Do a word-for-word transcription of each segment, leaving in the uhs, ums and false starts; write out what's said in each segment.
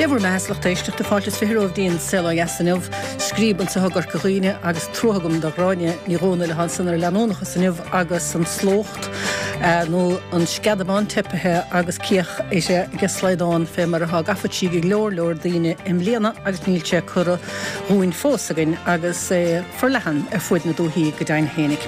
bhur mbeatha a lucht éisteachta fáilte is fiche romhaibh dtí'n Saol Ó Dheas inniu, scríob anseo i gCorca Dhuibhne agus trua agam do Ghráinne Ní Dhomhnaill atá ansan ar leanúnachas inniu agus an slócht nó an sceadamán teipithe agus cíoch uirthi ag slaghdán fé mar atá gafa tríd go leor leor daoine i mbliana agus níl sé curtha dhúinn fós againn agus é forleathan ar fuaid na dúthaí go deimhin fhéinig.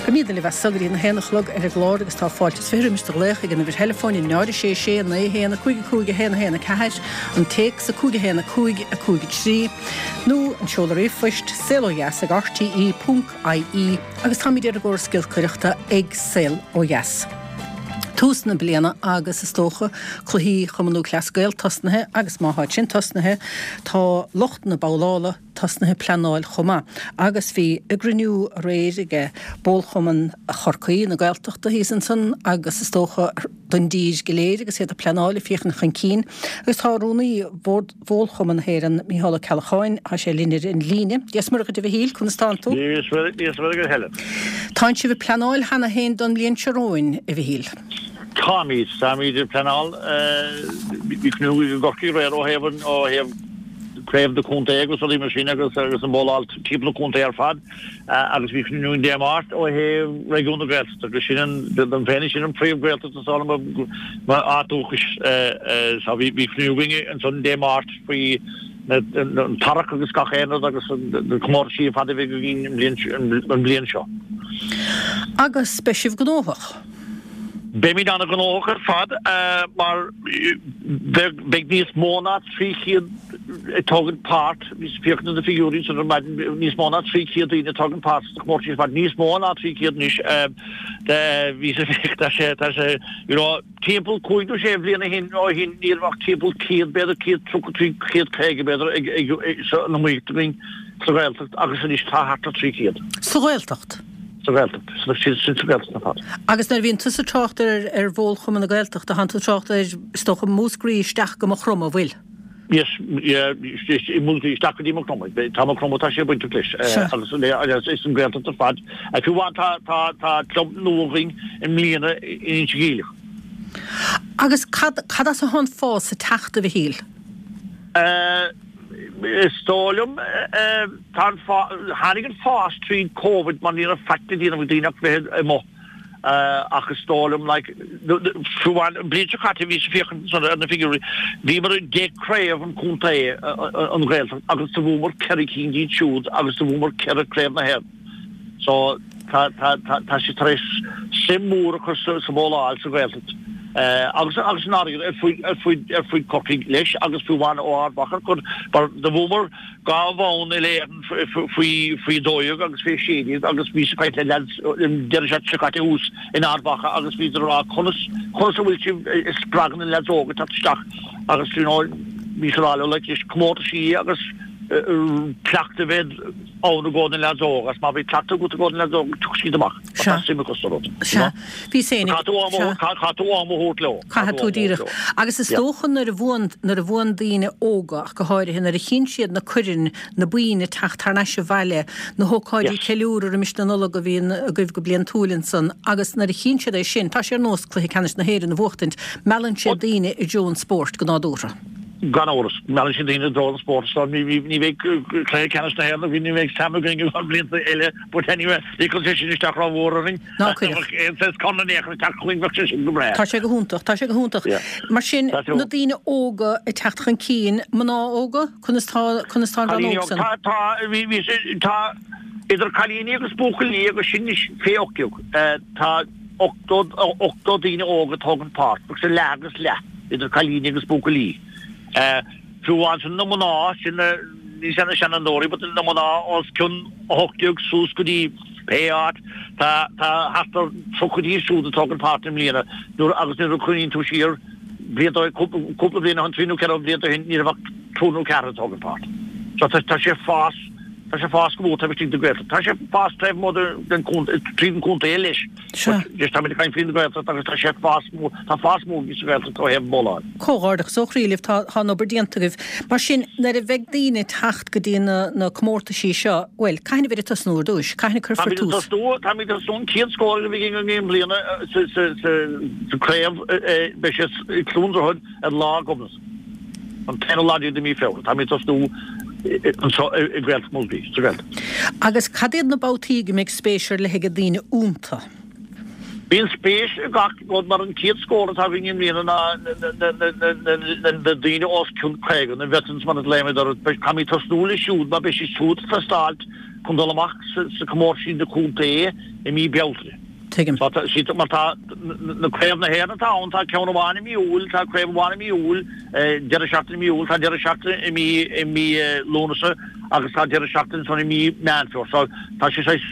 Beimid libh as so go dtí na haon a chlog ar an gclár agus tá fáilte is fiche roimis do ghlaoch ag an uimhir theileafóin náid a sé sé naoi haon a cúig a cúig a haon a haon a ceathair, an téacs a cúig a haon a cúig a cúig a trí, nó an seoladh ríomhphoist saol ó dheas ag rte ponc ie agus táimid ar an gcóras giolcaireachta ag Saol Ó Dheas. Tús na bliana agus is dócha cluichí Chumann Lúthchleas Gael tosnaithe agus má tháid sin tosnaithe tá lucht na babhlála tosnaithe pleanáil chomh maith agus bhí a gcruinniú aréir ag Bólchumann Chorcaí na Gaeltachta thíos ansan agus is dócha don dtír go léir agus iad ag pleanáil ag féachaint chun cinn agus tá rúnaí Bhord Bhólchumann na hÉireann, Mícheál Ó Ceallacháin, tá sé linn ar an líne. Dia 's Muire dhuit a Mhichíl, conas tánn tú? Dia 's Muire dhuit Helen. Tánn sibh ag pleanáil cheana féin don mbliain seo romhainn, a Mhichíl? Táimid. Táimid ag pleanáil. Bhí cruinniú i gCorcaigh aréir ó thaobh an, ó thaobh craobh na contae agus rudaí mar sin agus agus an bhóláil timpeall na contae ar fad. Agus bhí cruinniú Dé Máirt ó thaobh réigiún na Gaeltachta agus sin an, dom féin sin an príomh-Ghaeltacht is dóigh liom mo áit dúchais. So bhí bhí cruinniú againn ansan Dé Máirt faoi an tarrac agus gach aon rud agus na comórtaisí ar fad a bheidh againn an bhliain an bhliain seo. Agus beidh sibh gnóthach? Beimid an-ghnóthach ar fad mar beidh níos mó ná trí chéad ag tógaint páirt, bhíos ag féachaint ar na figiúirí ansan ar maidin, níos mó ná trí chéad daoine ag tógaint páirt sna comórtais ar fad, níos mó ná trí chéad anois, bhíos ag féachaint, tá sé, tá sé, you know, timpeall cúig nó sé bhliain ó shin, ó shin ní raibh ach timpeall céad, b'fhéidir céad tríocha, trí chéad caoga b'fhéidir ag, ag, san iomaíocht againn sa Ghaeltacht agus anois tá thart ar trí chéad. Sa Ghaeltacht? Sa Ghaeltacht. Sin sa Ghaeltacht ar fad. Agus nuair a bhíonn tusa ag trácht ar ar Bhólchumann na Gaeltachta, tánn tú ag trácht ar, is dócha, Múscraí isteach go Maigh Chromtha, an bhfuil? Yes, yeah, i Múscraí isteach go dtí Maigh Chromtha. Tá Maigh Chromtha, tá sé bainteach leis. Agus is an Ghaeltacht ar fad. Fiú amháin tá tá tá club nua againn i mbliana in Inse Geimhleach. Agus cad cad as atá an fás ag teacht, a Mhichíl? Is dóigh liom, tá an fás, tháinig an fás tríd Covid mar ní raibh faic le déanamh ag daoine ach bheith amuigh ach is dóigh liom like, fiú amháin an bhliain seo caite bhíos ag féachaint ansan ar na figiúirí, bhíomar i deich craobh an chontae, an Ghaeltacht agus do bhuamar ceithre cinn díobh siúd agus do bhuamar ceithre craobh na hÉireann. So tá tá tá tá sé tar éis suim mhór a chur sa sa bhóláil sa Ghaeltacht agus agus san fharraige ar fuaid ar fuaid ar fuaid Chorcaigh leis agus fiú amháin ó Ard Mhacha chun mar do bhuamar dhá bhonn uile-Éireann faoi faoi dó dhéag agus faoi sé déag agus bhíos ag caint le leaids an deireadh seachtaine seo caite thuas in Ard Mhacha agus bhíodar ag rá conas conas a bhfuil sibh ag spreagadh na leaids óga teacht isteach agus you know bhíos ag rá leo like leis comórtaisí agus cleachtadh a bheith ann i gcomhair na leaids óga agus má bhí cleachtadh agat i gcomhair na leaids óga tiocfaidh siad amach mar tá suim acu sa rud. Sea. Bhí féin ag. Caithfidh tú am a caithfidh tú am a thabhairt leo. Caithfidh tú díreach. Agus is dócha nuair a bhuann nuair a bhuann daoine óga ach go háirithe nuair a chíonn siad na coirn, na boinn ag teacht thar n-ais abhaile, na hócáidí ceiliúradh roimis na Nollag a bhíonn agaibh go bliantúil ansan agus nuair a chíonn siad é sin, tá sé ar nós cluiche ceannais na hÉireann a bhuachtaint, meallann sé daoine i dtreo an spóirt go nádúrtha. Gan amhras, meallann sé daoine i dtreo an spóirt so ní bheidh cluiche ceannais na hÉireann againn, ní bheidh Sam againn i gcomhair blianta eile but anyway, ní chuirfidh sé sin isteach rómhór orainn. Ná cuirfeadh. Aon saghas corn in aon chor ag teacht chugainn bheadh sé sin go breá. Tá sé go hiontach, tá sé go hiontach. Mar sin, na daoine óga ag teacht chun cinn, mná óga, conas tá, conas tá an rannóg san? Tá, tá, bhí, bhí, tá idir cailíní agus buachaillí agus sin anois fé ocht déag, tá ochtó, ochtó daoine óga ag tógaint páirt, agus leath agus leath idir cailíní agus buachaillí. Fiú amháin sin na mná, sin na, ní na seanfhondúirí, but na mná os cionn a hocht déag suas go dtí pé áit, tá, tá thart ar tríocha díobh siúd ag tógaint páirt i mbliana nuair, agus nuair a chuimhníonn tú siar blianta ó shin, cúpla bliain ó shin, trí nó ceithre blianta ó shin, ní raibh ach triúr nó ceathrar ag tógaint páirt. So tá, tá sé ag fás, tá sé ag fás go mór taobh istigh den Ghaeltacht. Tá sé ag fás taobh amuigh den chontae, tríd an chontae leis. Sea. But táimid ag caint faoin Ghaeltacht agus tá sé ag fás mór, tá fás mór sa Ghaeltacht ó thaobh an bhóláil. Comhghairdeachas ó chroí libh, tá tá an obair déanta agaibh. Mar sin, nuair a bheidh daoine ag teacht go dtí na na comórtaisí seo, bhuel, cathain a bheidh ag tosnú ar dtúis? Cathain a cuirfear Táimid ag tús? tosnú, táimid ag tosnú an chéad scór a bheidh againn i mbliana sa sa sa sa craobh, beidh sé i gCluain Droichead ar Lá Gobnait. an t-aonú lá déag de mí Feabhra, táimid ag tosnú anseo i nGaeltacht Mhúscraí, sa Ghaeltacht. Agus cad iad na babhtaí go mbeidh spéis ar leith ag daoine iontu? Bíonn spéis i gach rud mar an chéad scór atá againn i mbliana ná na daoine os cionn caoga, na veterans mar a ghlaoimid orthu. Caithfimid tosnú leo siúd mar beidh siad siúd ag teastáil chun dul amach sa comórtas na contae i mí Bealtaine. Tuigim. Mar tá na craobh na hÉireann atá ann, tá ceann amháin i mí Iúil, tá craobh amháin i mí Iúil, deireadh seachtaine i mí Iúil, tá deireadh seachtaine i mí i mí Lúnasa agus tá deireadh seachtaine ansan i mí Meán Fómhair. So tá sé saghas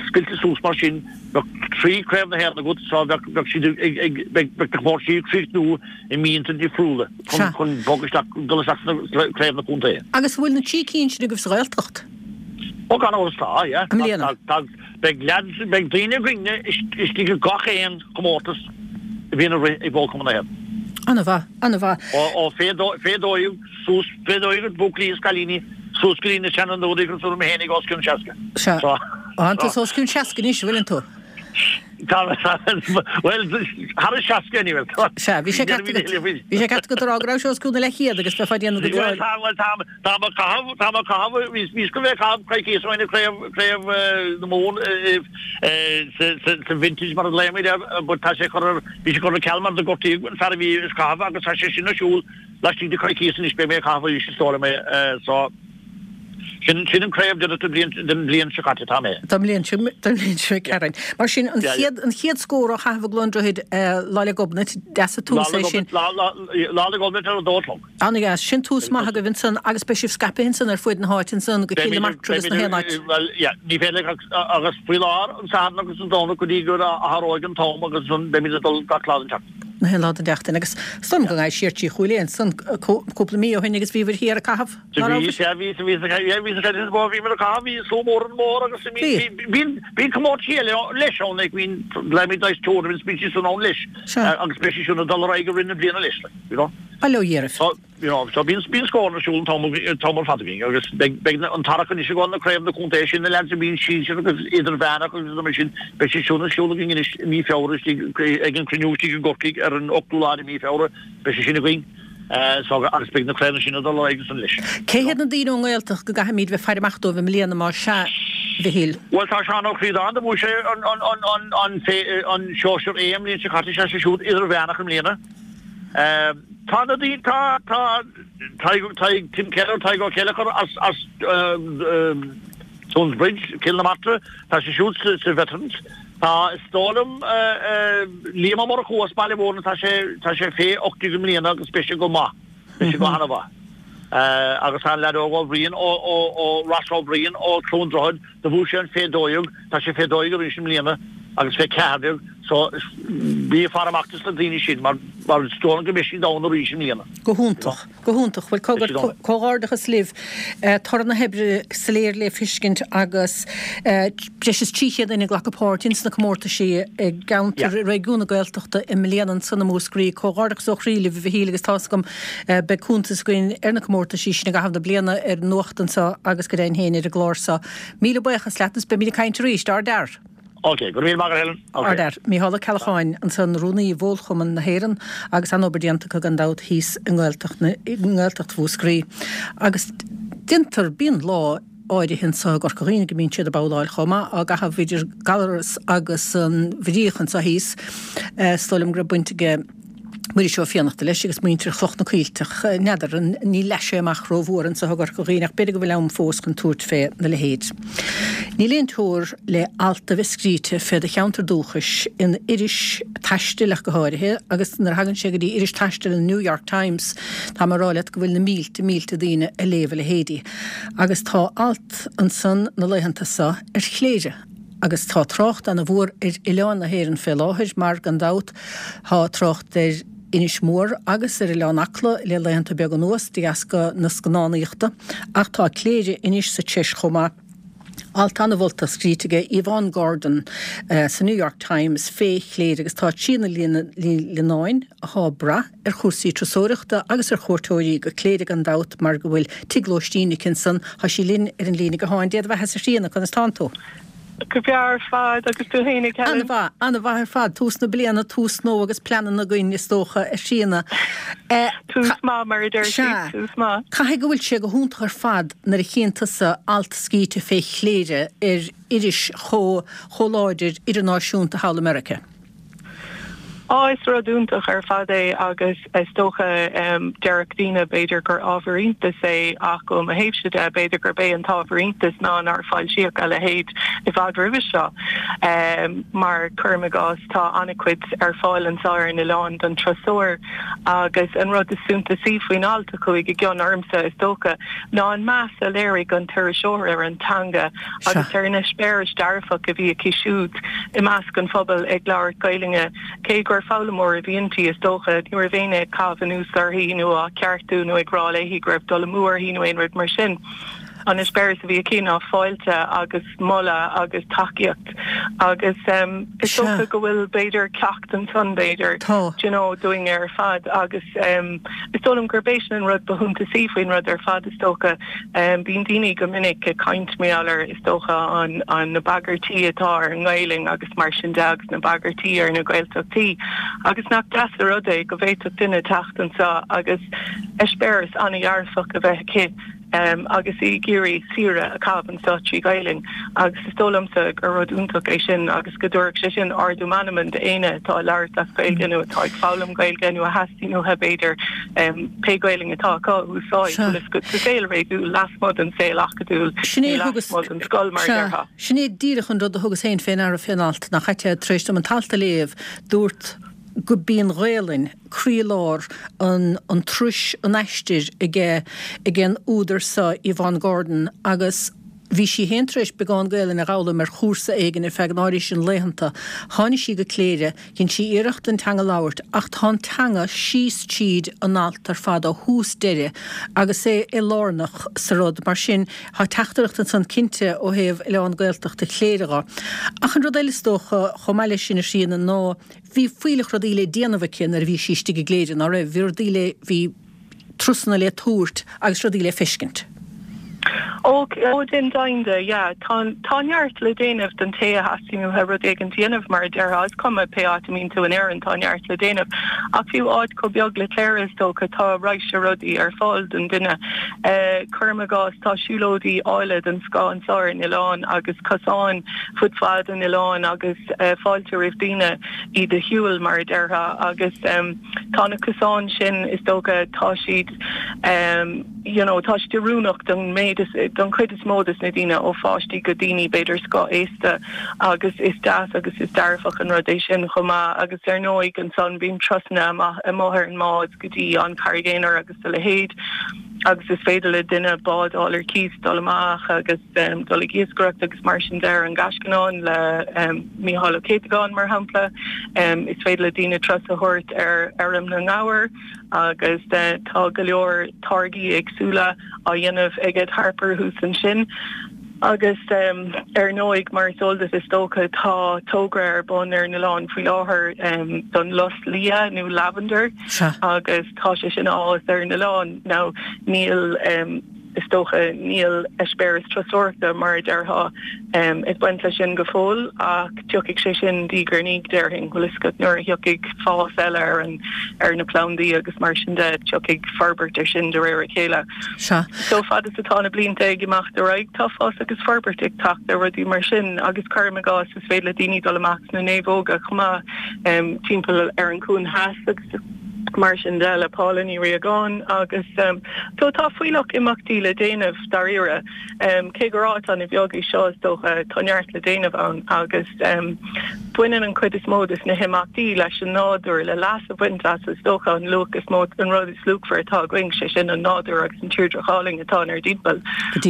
scoilte suas mar sin, bheadh trí craobh na hÉireann agat so bheadh bheadh siad ag ag beidh beidh na comórtaisí ag críochnú i míonna difriúla chun chun bog isteach dul isteach sna craobh na contae. Agus an bhfuil na trí cinn sin agaibh sa Ghaeltacht? Ó gan amhras tá, yeah. I mbliana. Tá, beidh leaids, beidh daoine againne istigh i gach aon chomórtas a bhíonn ag rith ag Bowlchumann na hÉireann. An-mhaith, an-mhaith. Ó, ó fé dó, fé dó dhéag suas, fé dó dhéag buachaillí is cailíní suas go dtí na seanfhondúirí cosúil liom féinig os cionn seasca. Sea. Tá tú os cionn seasca anois, an bhfuileann tú? Tá, bhuel, thar an seasca anyway. Sea, bhí sé ceart agat, bhí sé ceart agat a rá go raibh sé os cionn na leathchéad agus bheifeá ag déanamh go Bhuel, tá, bhuel, tá, tá mé ag caitheamh, tá mé ag caitheamh, bhí, bhíos go bheith ag caitheamh coicíos ó shin i craobh, craobh na Mumhan sa, sa, sa vintage mar a ghlaoimid air, but tá sé curtha ar, bhí sé curtha ar ceal mar do gortaíodh an fear a bhí ag caitheamh agus tá sé sin ar siúl laistigh de choicíos anois, beidh mé ag caitheamh arís is dóigh liom é, so. Sin sin an craobh deireadh den bhliain den bhliain seo caite tá mé. Don bhliain seo don bhliain seo caite. Mar sin an chéad an chéad scór á chaitheamh i gCluain Droichid Lá 'le Gobnait deas an tús é sin. Lá Lá Lá 'le Gobnait ar a dó a chlog. Ana-dheas. Sin tús maith agaibh ansan agus beidh sibh scaipthe ansan ar fuaid na háite ansan go Cill na Martra agus na haon áit. Bhuel yeah ní féidir agus faoi láthair an Satharn agus an Domhnach go dtí go athróidh an t-am agus ansan beimid ag dul gach lá den tseachtain. Na haon lá den tseachtain agus is dóigh liom go ndeachaigh siar trí Chúil Aodha ansan cúpla mí ó shin agus bhíobhair thiar ag caitheamh. Bhí, sea, bhí, bhí, bhí, bhí, bhí mé ag caitheamh, bhí slua mór ar an mbóthar agus bhí, bhí, bhí comórtaisí eile leis ann, like, bhí glaoimid dice tournaments, bíonn siad san ann leis agus beidh siad sin ag dul ar aghaidh i rith na bliana leis, like, you know. Bail ó Dhia oraibh. So, you know, so bíonn, bíonn scóranna ar siúl an t-am, an t-am ar fad againn agus beidh, beidh an t-earrach anois ag dul na craobh na contae sin, na leaids a bhíonn sinsear agus idirmheánach agus mar sin, beidh siad siúd ar siúl againn anois i mí Feabhra istigh ag an cruinniú istigh i gCorcaigh ar an ochtú lá de mí Feabhra, beidh sé sin againn. So agus beidh na craobhanna sin ag dul ar aghaidh ansan leis. Cé hiad na daoine ón nGaeltacht go gcaithfimid bheith ag faire amach dóibh i mbliana más ea, a Mhichíl? Bhuel tá Seán Ó Críodáin, do bhuaigh sé an an an an an an sóisear A an mbliain seo caite, tá sé siúd idirmheánach i mbliana. Tá na daoine, tá tá Tadhg Tadhg Tim Keller, Tadhg Ó Ceilleachair as as Toonsbridge, Cill na Martra, tá sé siúd sa sa Veterans. Tá, is dóigh liom, Liam Ó Murchú as Baile Mhúirne, tá sé, tá sé fé ocht déag i mbliana agus beidh sé go maith, beidh sé go hana-mhaith. Agus tá an leaid óg Ó Bhriain ó, ó, ó Ross Ó Briain ó Chluain Droichead, do bhuaigh sé an fé dó dhéag, tá sé fé dó dhéag arís i mbliana agus fé ceathair déag, so bí ag faire amach dos na daoine sin mar, mar is dóigh liom go mbeidh siad ann arís i mbliana. Go hiontach. Go hiontach. Bhuel, cogar, comhghairdeachas libh. Toradh na hoibre soiléir le feiscint agus breis is trí chéad duine ag glacadh páirt ins na comórtaisí i gceantar, i réigiún na Gaeltachta i mbliana ansan i Múscraí. Comhghairdeachas ó chroí libh, a Mhichíl, agus tá's agam beidh cuntas againn ar na comórtaisí sin i gcaitheamh na bliana ar an Nuacht anseo agus go deimhin féin ar an gclár seo. Míle buíochas leat agus beimid ag caint arís. Ardfhear! Ok, go raibh míle maith agat Helen. Ok. Ardfhear. Mícheál Ó Ceallacháin ansan, Rúnaí Bhólchumann na hÉireann agus an-obair déanta acu gan dabht thíos i nGaeltacht na, i nGaeltacht Mhúscraí. Agus déantar, bíonn lá áirithe anso i gCorca Dhuibhne go mbíonn siad ag babhláil chomh maith, á gcaitheamh idir Gallarus agus an Bhríoch anso thíos. Is dóigh liom go raibh baint aige Muiris Ó Fiannachta leis agus muintir Chloch na Coillteach. N'fheadar, ní leath sé amach rómhór anso i gCorca Dhuibhne ach b'fhéidir go bhfuil am fós chun tabhairt fé na leithéid. Níl aon teora le alt a bheith scríte fé do cheantar dúchais in iris taistil ach go háirithe agus nuair a thagann sé go dtí iris taistil an New York Times tá mé ag rá leat go bhfuil na mílte mílte daoine ag léamh a leithéidí. Agus tá alt ansan na laethanta so ar Chléire. Agus tá trácht ana mhór ar oileáin na hÉireann fé láthair mar, gan dabht, tá trácht ar Inis Mór agus ar Oileán Acla le laethanta beaga anuas de dheasca na scannánaíochta, ach tá Cléire anois sa treis chomh maith. Alt ana-mholta scríte aige Yvonne Gordon sa New York Times fé Chléire agus tá Tríona Ní Lionáin, athá ag brath ar chúrsaí turasóireachta agus ar chuairteoirí go Cléire gan dabht mar go bhfuil tigh lóistín aici ansan. Tá sí linn ar an líne gutháin. Dé do bheatha-sa a Thríona, conas tánn tú? Go breá ar fad agus tú féinig Helen. An-mhaith, an-mhaith ar fad, tús na bliana, tús nua agus pleananna againn is dócha a Thríona. Tús maith mar a deir siad, tús maith. Caithfidh go bhfuil sé go hiontach ar fad nuair a chíonn tusa alt scríte fé Chléire ar iris chomh chomh láidir idirnáisiúnta thall i Meiriceá. Á, is rud iontach ar fad é agus is dócha déarfadh daoine b'fhéidir gur ábhar iontais é ach ó mo thaobhse de b'fhéidir gurb é an t-ábhar iontais ná nár foilsíodh a leithéid i bhfad roimhe seo. Mar cuirim i gcás tá an-chuid ar fáil anseo ar an oileán don turasóir agus an rud is suntasaí faoin alt a chuaigh i gcion ormsa is dócha ná an meas a léirigh an t-iriseoir ar an teanga agus ar an eispéireas dearfach a bhí aici siúd i measc an phobail ag labhairt Gaelainne cé gur foghlaimeoir a bhí inti, is dócha. Ní raibh éinne ag caitheamh anuas uirthi nó á ceartú nó ag rá léi go raibh dul amú uirthi nó aon rud mar sin. An eispéireas a bhí aici ná fáilte agus moladh agus tacaíocht agus is dócha go bhfuil b'fhéidir ceacht ansan b'fhéidir, do you know, dúinne ar fad agus is dóigh liom gurb é sin an rud ba shuntasaí faoin rud ar fad is dócha. Bíonn daoine go minic ag caint mar gheall ar, is dócha, an, an, na bagairtí atá ar an nGaelainn agus mar sin de agus na bagairtí ar na Gaeltachtaí agus nach deas an rud é go bhféadfadh duine teacht anseo agus eispéireas an-dhearfach a bheith aici agus í ag iarraidh saoire a chaitheamh anseo trí Ghaelainn agus is dóigh liomsa gur rud iontach é sin agus go dtabharfadh sé sin ardú meanman d'éinne atá ag labhairt as Gaeilge nó atá ag foghlaim Gaeilge nó a theastaíonn uathu b'fhéidir pé Gaelainn atá acu a úsáid bhfuil fhios agat sa saol réadúil lasmuigh den saol acadúil nó lasmuigh den scoil mar a déarfá. Sin é díreach an rud a thugas féin fé ndeara fén alt, nach ait é, tar éis dom an t-alt a léamh, dúrt go b'í an Ghaelainn croílár an an turais, an aistir aige ag an údar seo, Yvonne Gordon, agus bhí sí féin tar éis beagán Gaelainne a dh'fhoghlaim ar chúrsa éigin ar feadh an áirithe sin laethanta. Tháinig sí go Cléire, dhein sí iarracht an teanga a labhairt ach tá an teanga síos tríd an alt ar fad ó thús deireadh agus é é lárnach sa rud. Mar sin, tá teachtaireacht ansan cinnte ó thaobh Oileán Gaeltachta Chléire dho. Ach an rud eile is dócha, chomh maith leis sin a Thríona, ná Bhí fuílleach rudaí le déanamh aici nuair a bhí sí istigh i gCléire, ná raibh? Bhí rudaí le, bhí turasanna le tabhairt agus rudaí le feiscint. Ó, ó déan deimhin de, yeah. Tá, tá neart le déanamh don té a theastaíonn uathu rud éigin a dhéanamh, mar a déarfá. Is cuma pé áit a mbíonn tú in Éirinn, tá neart le déanamh. Ach fiú áit chomh beag le Cléire, is dócha, tá raidhse rudaí ar fáil don duine. Eh, cuirim i gcás, tá siúlóidí áille den scoth anseo ar an oileán agus cosáin fud fad an oileáin agus eh, fáilte roimh daoine. iad a shiúl, mar a déarfá, agus tá na cosáin sin, is dócha, tá siad you know, tá siad oiriúnach don méid is, don chuid is mó des na daoine, ó pháistí go daoine b'fhéidir scothaosta agus is deas agus is dearfach an rud é sin chomh maith agus ar ndóigh ansan bíonn turasanna amach amuigh ar an mbád go dtí an Charraig Aonair agus a leithéid agus is féidir le duine bád a fháil ar cíos dul amach agus dul ag iascaireacht agus mar sin de ar an gCaisleán le Mícheál Ó Céadagáin mar shampla. Is féidir le daoine turas a thabhairt ar fheirm na ngabhar agus tá go leor táirgí éagsúla á dhéanamh ag Ed Harper thuas ansin. Agus ar ndóigh, mar is eol duit is dócha, tá togra ar bun ar an oileán faoi láthair don lus liath nó lavender agus tá sé sin á fhás ar an oileán. Now níl, is dócha, níl eispéireas turasóireachta mar a déarfá ag baint leis sin go fóill ach tiocfaidh sé sin diaidh ar ndiaidh déarfainn, bhfuil fhios agat, nuair a thiocfaidh fás eile ar an, ar na plandaí agus mar sin de, tiocfaidh forbairt air sin de réir a chéile. Sea. So fad is atá na blianta ag imeacht ar aghaidh, tá fás agus forbairt ag teacht ar rudaí mar sin agus cuirim i gcás, is féidir le daoine dul amach sna naomhóga chomh maith, timpeall ar an Chuan Theas agus mar sin de le Paula Ní Riagáin agus so tá fuílleach imeachtaí le déanamh dáiríre. Cé gur áit an-bheag í seo is dócha, tá neart le déanamh ann agus baineann an chuid is mó de na himeachtaí leis an nádúr, le leas a bhaint as is dócha an luach is mó, an rud is luachmhaire atá againn, sé sin an nádúr agus an tírdreach álainn atá inár dtimpeall.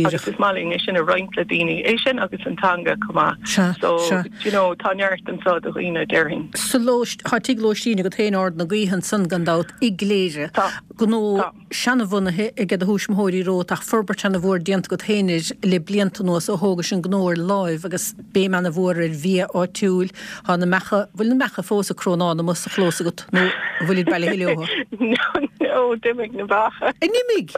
Agus is maith linn é sin a roinnt le daoine, é sin agus an teanga chomh maith. Sea, So, sea. do you know, tá neart anseo do dhaoine, déarfainn. Sa lóist, tá tigh lóistín agat féin, Ard na Gaoithe ansan gan dabht, i gCléire. Tá. Gnó Tá. seanabhunaithe ag do thuismitheoirí romhat ach forbairt ana-mhór déanta agat féin air le blianta anuas ó thógais an gnó ar láimh agus béim ana-mhór ar bhia áitiúil. Tá na beacha, bhfuil na beacha fós ag crónán amuigh sa chlós agat nó an bhfuilid bailithe leo? No, no, Ó, d'imigh na beacha. An imigh?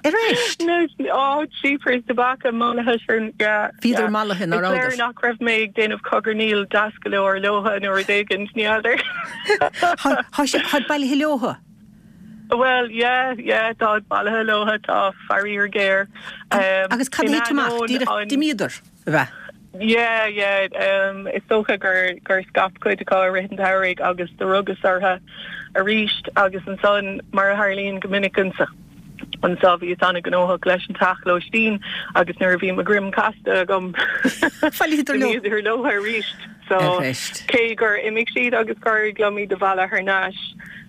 Arís? No, oh, jeepers, na beacha mallaithe sin, yeah. Bhíodar mallaithe, ná Is léir rabhadar? nach raibh mé ag déanamh cogarnaíl deas go leor leotha nó rud éigin, ní fheadar. Tá sé táid bailithe leotha. Well, yeah, yeah, tá bailithe leotha, tá faraor géar. Um, Agus cad in é amach ainneoin díreach an- d'imíodar a bheith. Yeah, yeah, um, is dócha gur gur scaip cuid acu i rith an tsamhraidh agus do rugas orthu arís agus ansan mar a tharlaíonn go minic anso anso bhíos an-ghnóthach leis an teach lóistín agus nuair a bhí mo dhroim casta agam Bhailíodar leo. d'imíodar leo arís. So Arís. cé gur imigh siad agus gur éirigh liom iad a mhealladh thar n-ais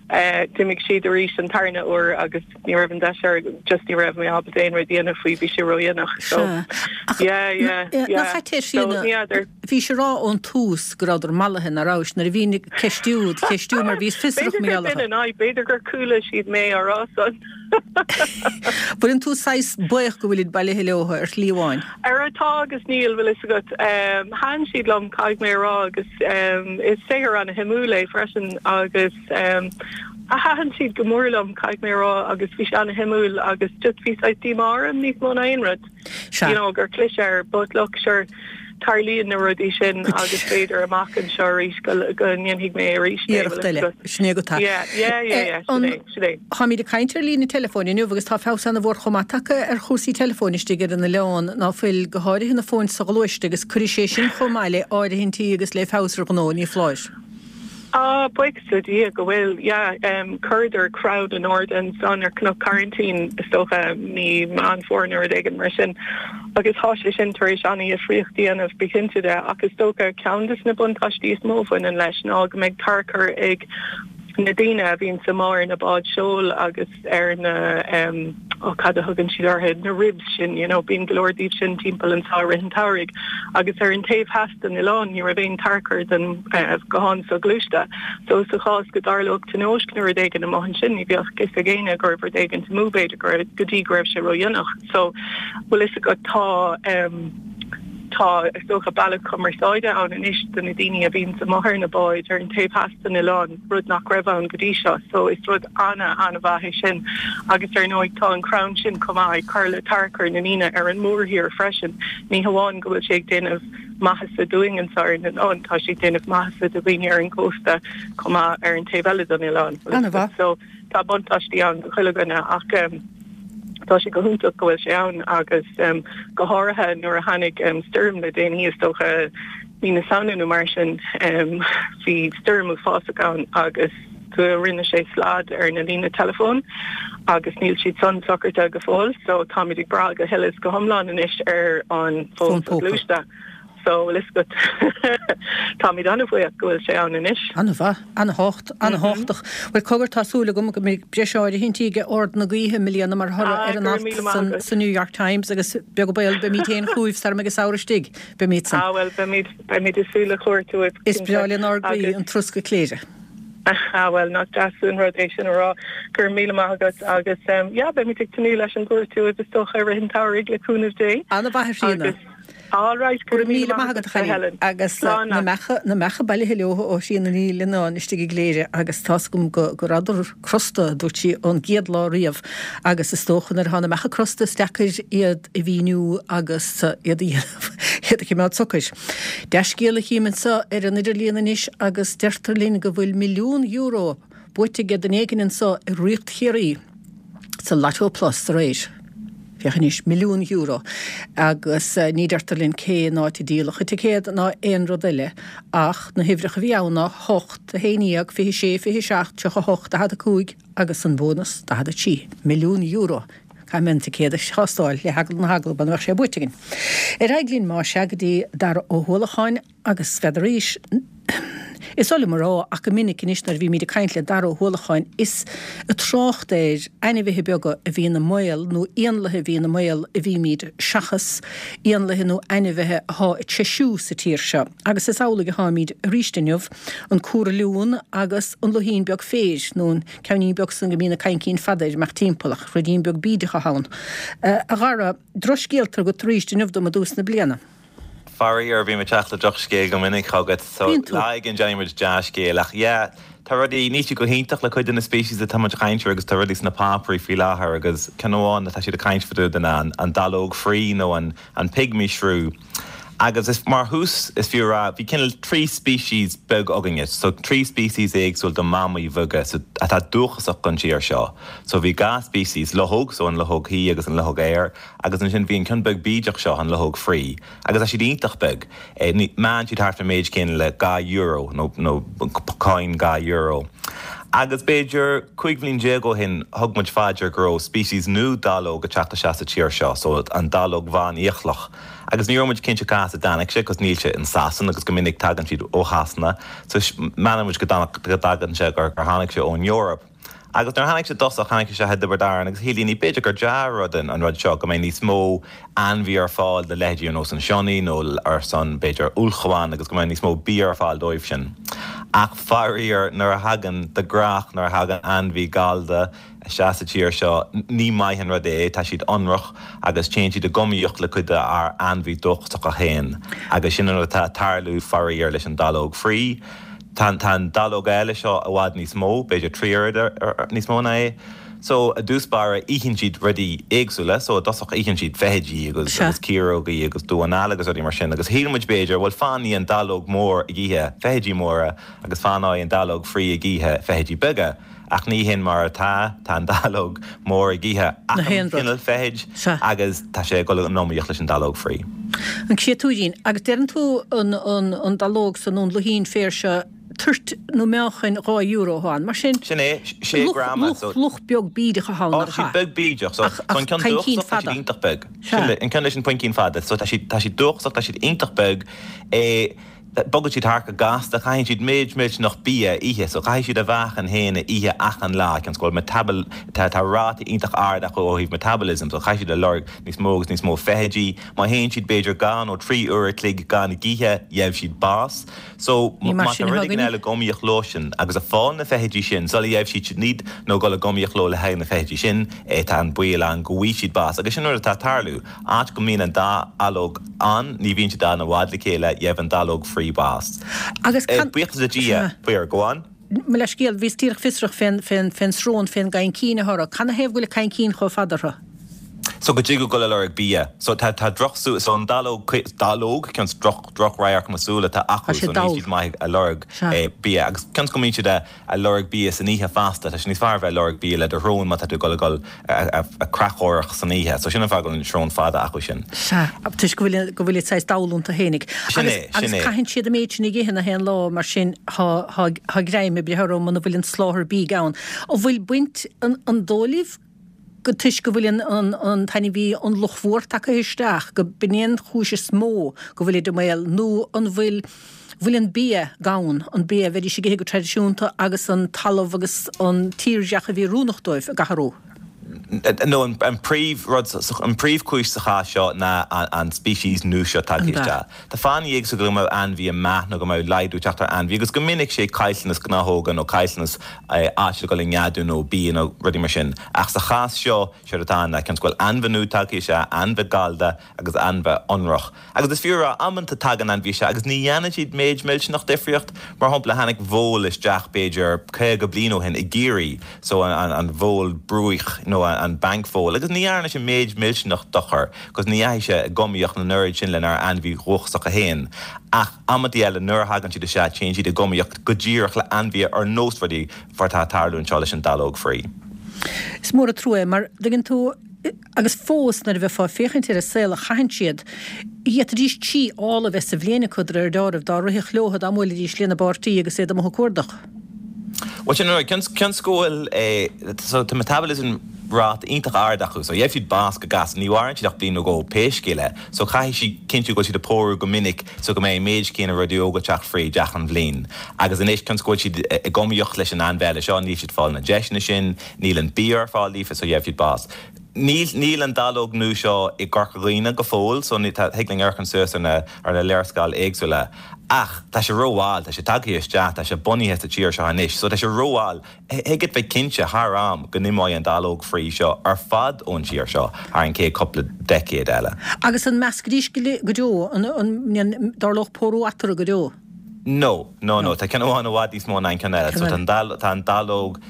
eh, d'imigh siad arís an tarna uair agus ní raibh an deis ar just ní raibh mé ábalta aon rud a dhéanamh faoi bhí sé ródhéanach. So Sea. Ach yeah, yeah, na yeah. chaite So Tríona ní fheadar. bhí sé rá ón tús go rabhadar mallaithe ná rabhais nuair a bhí ceistiú ceistiú mar bhíos fiosrach B'fhéidir mé gur sin an fhadhb, b'fhéidir gur chuala siad mé á rá san. Bhfuil an tú saghas buíoch go bhfuilid bailithe leo ar shlí amháin. Ar atá agus níl bhfuil fhios agat um, thaitin siad liom caithfidh mé a rá agus um, is saothar an-shuimiúil é freisin agus um, a thaitin siad go mór liom caithfidh mé a rá agus bhí sé an-shuimiúil agus just bhí saghas díomá orm níos mó ná aon rud. Sea. You know, gur chlis air, but look, sure, tarlaíonn na rudaí sin agus b'fhéidir amach anseo arís go go ndéanfaidh mé arís é, Iarracht bhfuil fhios eile agat. sin é go tá. Yeah, yeah, yeah, yeah, sin é, sin é. Táimid ag caint ar líne telefóin inniu agus tá feabhas an-mhór chomh maith tagtha ar chúrsaí telefóin istigh ar an oileán ná fuil go háirithe na fóin soghluaiste agus cuirfidh sé sin chomh maith le áirithintí agus le feabhas ar ghnó ní foláir. Ah, buíochas le Dia go bhfuil, yeah, um, chuireadar crann in airde ansan ar Cnoc Coraintín is dócha mí Meán Fómhair nó rud éigin mar sin. Agus tá sé sin tar éis an-difríocht a dhéanamh bí cinnte de ach is dócha ceann de na buntáistí is mó a bhaineann leis ná go mbeidh tarchur ag na daoine a bhíonn amuigh ar na báid seoil agus ar na um, ó cad a thugann siad orthu na ribs sin, you know, bíonn go leor díobh sin timpeall anseo i rith an tsamhraidh agus ar an taobh theas den oileán ní raibh aon tarchur den uh, guthán soghluaiste. So sa chás go dtarlódh tionóisc nó rud éigin amuigh ansin ní bheadh fhios ag éinne go raibh rud éigin amú b'fhéidir go go dtí go raibh sé ródhéanach. So bhfuil fhios agat tá um, tá is dócha bealach cumarsáide ann anois do na daoine a bhíonn amuigh ar na báid ar an taobh theas den oileán rud nach raibh ann go dtí seo, so is rud ana an-mhaith é sin agus ar ndóigh tá an crann sin chomh maith ag cur le tarchur na ndaoine ar an mórthír freisin. Ní hamháin go bhfuil sé ag déanamh maitheasa dúinn anseo ar an oileán tá sé ag déanamh maitheasa do dhaoine ar an gcósta chomh maith ar an taobh eile den oileán. An-mhaith. So tá buntáistí ann do chuile dhuine ach um, tá sé go hiontach go bhfuil sé ann agus um, go háirithe nuair a tháinig um, stoirm le déanaí is dócha mí na Samhna nó mar sin um, bhí stoirm uafásach ann agus go rinne sé slad ar na líne telefón agus níl siad san socraithe go fóill, so táimid ag brath go huile is go hiomlán anois ar an Fón fón póca. soghluaiste. So bhfuil fhios agat táimid an-bhuíoch go bhfuil sé ann anois. An-mhaith, an-tábhacht, an-tábhachtach. Well cogar tá súil agam go mbeidh breis áirithintí ag Ard na Gaoithe i mbliana mar thoradh Ah, ar an go raibh alt míle maith san, agat. san New York Times agus beag baol beimid féin chugaibh sara mbeidh an samhradh istigh beimid san. Ah well beimid beimid ag súil le cuairt uait. Is breá lenár gcroí Agus- an troscadh cléire. Ah well nach deas an rud é sin a rá gur míle maith agat agus um, yeah, beimid ag tnúth leis an gcuairt uait is dócha i rith an tsamhraidh le cúnamh Dé. An-mhaith Tríona. Agus all right Go raibh míle maith agat a Helen agus Slán na leat. meacha na meacha bailithe leo ó Thríona Ní Leannáin istigh i gCléire agus tá's agam go go rabhadar crosta dúirt sí ón gcéad lá riamh agus is dócha nuair atá na meacha crosta is deacair iad a mhíniú agus uh, iad a iad a choimeád socair. Dea-scéal a chím anseo ar an idirlíon anois agus deirtear linn go bhfuil milliún euro buaite ag duine éigin anseo i Ríocht Chiarraí sa Lotto Plus aréir. Féach anois milliún euro agus uh, ní deirtear linn cén áit a díoladh an ticéad ná aon rud eile ach na huimhreacha a bhí ann ná hocht a haon déag fiche sé fiche seacht tríocha hocht daichead a cúig agus an bónas daichead a trí milliún euro. Caithfidh mé an ticéad a thástáil le heagla na heagla go mbeadh sé buaite againn. Ar aghaidh linn má sea go dtí Dara Ó hUallacháin agus n'fheadar Is ola marrá ach go minic anois nuair a bhímid ag caint le Dara Ó hUallacháin is ag trácht ar ainmhithe beaga a bhíonn i mbaol nó éanlaithe a bhíonn i mbaol a bhímid seachas éanlaithe nó ainmhithe atá ag treisiú sa tír seo. Agus is amhlaidh atáimid arís inniu an cúrliún agus an luithín beag féir nó an ceann beag san go mbíonn na caincín fada ag imeacht timpeall ach ruidín beag bídeach ann. Uh, a Dhara drochscéalta agat arís inniu dom i dtús na bliana. Faraor, bím ag teacht le drochscéal go minic chugat, so Bíonn tú. lá éigin déanfaidh muid dea-scéal ach yeah, tá rudaí, níl siad go hiontach le cuid de na species atá muid ag caint air agus tá rudaí sna páipéirí faoi láthair agus ceann amháin atá siad ag caint fá dtaobh de ná an, an dallóg fraoigh nó an, an pygmy shrew. Agus is mar thús is fiú a rá, bhí cineál trí species beag againne, so trí species éagsúil de mamaigh bheaga so atá dúchasach don tír seo. So bhí dhá species, luchóg, so an luchóg thí agus an luchóg fhéir, agus ansin bhí an ceann beag bídeach seo, an luchóg fraoigh. Agus tá siad iontach beag. Eh, ní, meánn siad thart ar méid céanna le dhá euro nó, nó coin dhá euro. Agus b'fhéidir cúig bhliain déag ó shin thug muid fá dear go raibh species nua dallóg ag teacht isteach sa tír seo, so an dallóg bhánfhiaclach. Agus ní raibh muid cinnte cá as a dtáinig sé, cos níl sé in Sasain agus go minic tagann siad ó Shasana, so measann muid go dtagann sé gur gur tháinig sé ón Eoraip. Agus nuair a tháinig sé i dtosach tháinig sé i dTiobraid Árann agus shíl daoine b'fhéidir gur dea-rud an rud seo go mbeidh níos mó ainmhí ar fáil do leithéidí ar nós an sionnach nó ar son b'fhéidir ulchabhán agus go mbeidh níos mó bia ar fáil dóibh sin. Ach faraor nuair a thagann de ghnáth nuair a thagann ainmhí gallda isteach sa tír seo ní maith an rud é, tá siad ionrach agus téann siad i giomaíocht le cuid dár ainmhí dúchasacha féin agus sin an rud atá ag tarlú faraor leis an dallóg fraoigh. Tá an dallóg eile seo i bhfad níos mó, b'fhéidir trí oiread níos mó ná é. So i dtús báire itheann siad rudaí éagsúla, so i dtosach itheann siad feithidí agus agus ciarógaí agus damháin alla agus rudaí mar sin agus shíl muid b'fhéidir bhuel fanfaidh an dallóg mór ag ithe feithidí móra agus fanfaidh an dallóg fraoigh ag ithe feithidí beaga. Ach ní hin mar atá, tá an dallóg mór ag ithe achan chineál feithid agus tá sé ag dul in iomaíocht leis an dallóg fraoigh. An créatúirín, agus deireann tú an an an dallóg san nó an luichín féir seo toirt nó meáchain dhá euro atá ann, mar sin Sin é, sé grama, luch luch beag bídeach atá ann, Ó, nach tá siad ea? beag bídeach, so Ach so an ach ceann cainncín dúchasach tá siad fada. iontach beag. Sea. Sin an ceann leis an phuincín fada, so tá siad tá siad dúchasach, tá siad iontach beag. É bogann siad thart go gasta, caitheann siad méid millteanach bia a ithe, so caithfidh siad a mheáchan féin a ithe achan lá, cionn is go bhfuil metabol, tá tá ráta iontach ard acu ó thaobh metabolism, so caithfidh siad a lorg níos mó agus níos mó feithidí. Má théann siad b'fhéidir dhá nó trí uair a chloig gan ag ithe, gheobhaidh siad bás. So Ní mar má tá sin rud atá éigin againne. eile ag iomaíocht leo sin agus ag fáil na feithidí sin, sula gheobhaidh siad sin iad nó dul ag iomaíocht leo le haghaidh na feithidí sin, eh, tá an baol ann go bhfaighidh siad bás. Agus sin rud atá ag tarlú. Áit go mbíonn an dá dallóg ann, ní bhíonn siad ann i bhfad le chéile, gheobhaidh an dallóg fraoigh bás. Agus Eh, can buíochas le Dia, faoi go on. Mo leithscéal, bhíos díreach fiosrach fén fén fén srón fén gcaincín atá orthu. Canathaobh go bhfuil an caincín chomh fada orthu? So go dtig leo dul ag lorg bia. So tá tá droch so an dallóg dallóg cionn is droch drochradharc na súile atá Tá acu sé so níl dall. siad maith ag lorg Sea. eh, bia agus cionn is go mbíonn siad a a lorg bia san oíche fosta tá sé níos fearr bheith ag lorg bia le do shrón má tá tú dul dul a creachadóireacht san oíche, so sin an fáth go bhfuil an srón fada acu sin. Sea, toisc go bhfuil go bhfuil iad saghas dall iontu fhéinig. Sin Agus é, agus sin é. caitheann siad an méid sin ag ithe na haon lá mar sin thá thá thá greim ag breith orthu muna bhfuil an soláthar bídh ann. An bhfuil baint an an dóigh libh go toisc go bhfuil an an an t-ainmhí an luchmhór tagtha isteach go b'in é an chúis is mó go bhfuil iad i mbaol nó an bhfuil bhfuil an bia gann, an bia a bheidís ag ithe go traidisiúnta agus an talamh agus an tírdhreach a bhí oiriúnach dóibh ag athrú. No an, an príomh rud an príomhchúis sa chás seo ná an, an species nua seo tagtha An ea. isteach. Tá fáthanna éagsúla go mbeadh ainmhí ag meath nó go mbeadh laghdú teacht ar ainmhí agus go minic sé caillteanas gnáthóga nó caillteanas eh, áit le dul i neadú nó bia nó rudaí mar sin. Ach sa chás seo sé atá ná cionn is go bhfuil ainmhí nua tagtha isteach, ainmhí gallda agus ainmhí ionrach. Agus is fiú rá amanta tagann ainmhí isteach agus ní dhéanann siad méid millteanach difríocht, mar shampla tháinig vól isteach b'fhéidir caoga bliain ó shin i gCiarraí, so an, an, an vól bruaich nó an, an bank vole, agus ní dhearna sé méid millteanach dochar, cos ní dheachaigh sé i giomaíocht an oiread sin lenár ainmhí dhúchasacha féin. Ach amantaí eile nuair a thagann siad isteach téann siad i giomaíocht go díreach le ainmhí ar nós rudaí mar atá ag tarlú anseo leis an dallóg fraoigh. Is mór an trua é mar tuigeann tú agus fós nuair a bheifeá ag féachaint ar an saol a chaitheann siad, d'fhéadfaidís trí ál a bheith sa bhliain acu de réir dealraimh dá rithfeadh leo dá mbuailfidís lena bpáirtí agus iad amuigh ag cuardach. Well sin cionn cionn is go bhfuil eh, so tá metabolism rate iontach ard acu, so gheobhaidh siad bás go gasta, ní mhaireann siad ach bliain nó dhó pé scéal é, so caithfidh siad cinntiú go bhfuil siad ag pórú go minic so go mbeidh méid céanna rudaí óga ag teacht fríd achan bhliain. Agus anois cionn is go bhfuil siad ag iomaíocht leis an ainmhí eile seo, níl siad fáil na deiseanna sin, níl an bia ar fáil daofa, so gheobhaidh siad bás. Níl níl an dallóg nua seo i gCorca Dhuibhne go fóill, so ní thig linn amharc suas ar na ar na léarscáil éagsúla. Ach tá sé rómhall, tá sé tagtha isteach, tá sé bunaithe sa tír seo anois, so tá sé rómhall. Thig leat bheith cinnte thar am go n-imeoidh an dallóg fraoigh seo ar fad ón tír seo thar an chéad cúpla deicéad eile. Agus an meascfaidís go deo, an dtarlódh pórú eatarthu go deo? No, no, no, tá ceann amháin i bhfad níos mó ná an ceann eile. So tá an dall, tá an dallóg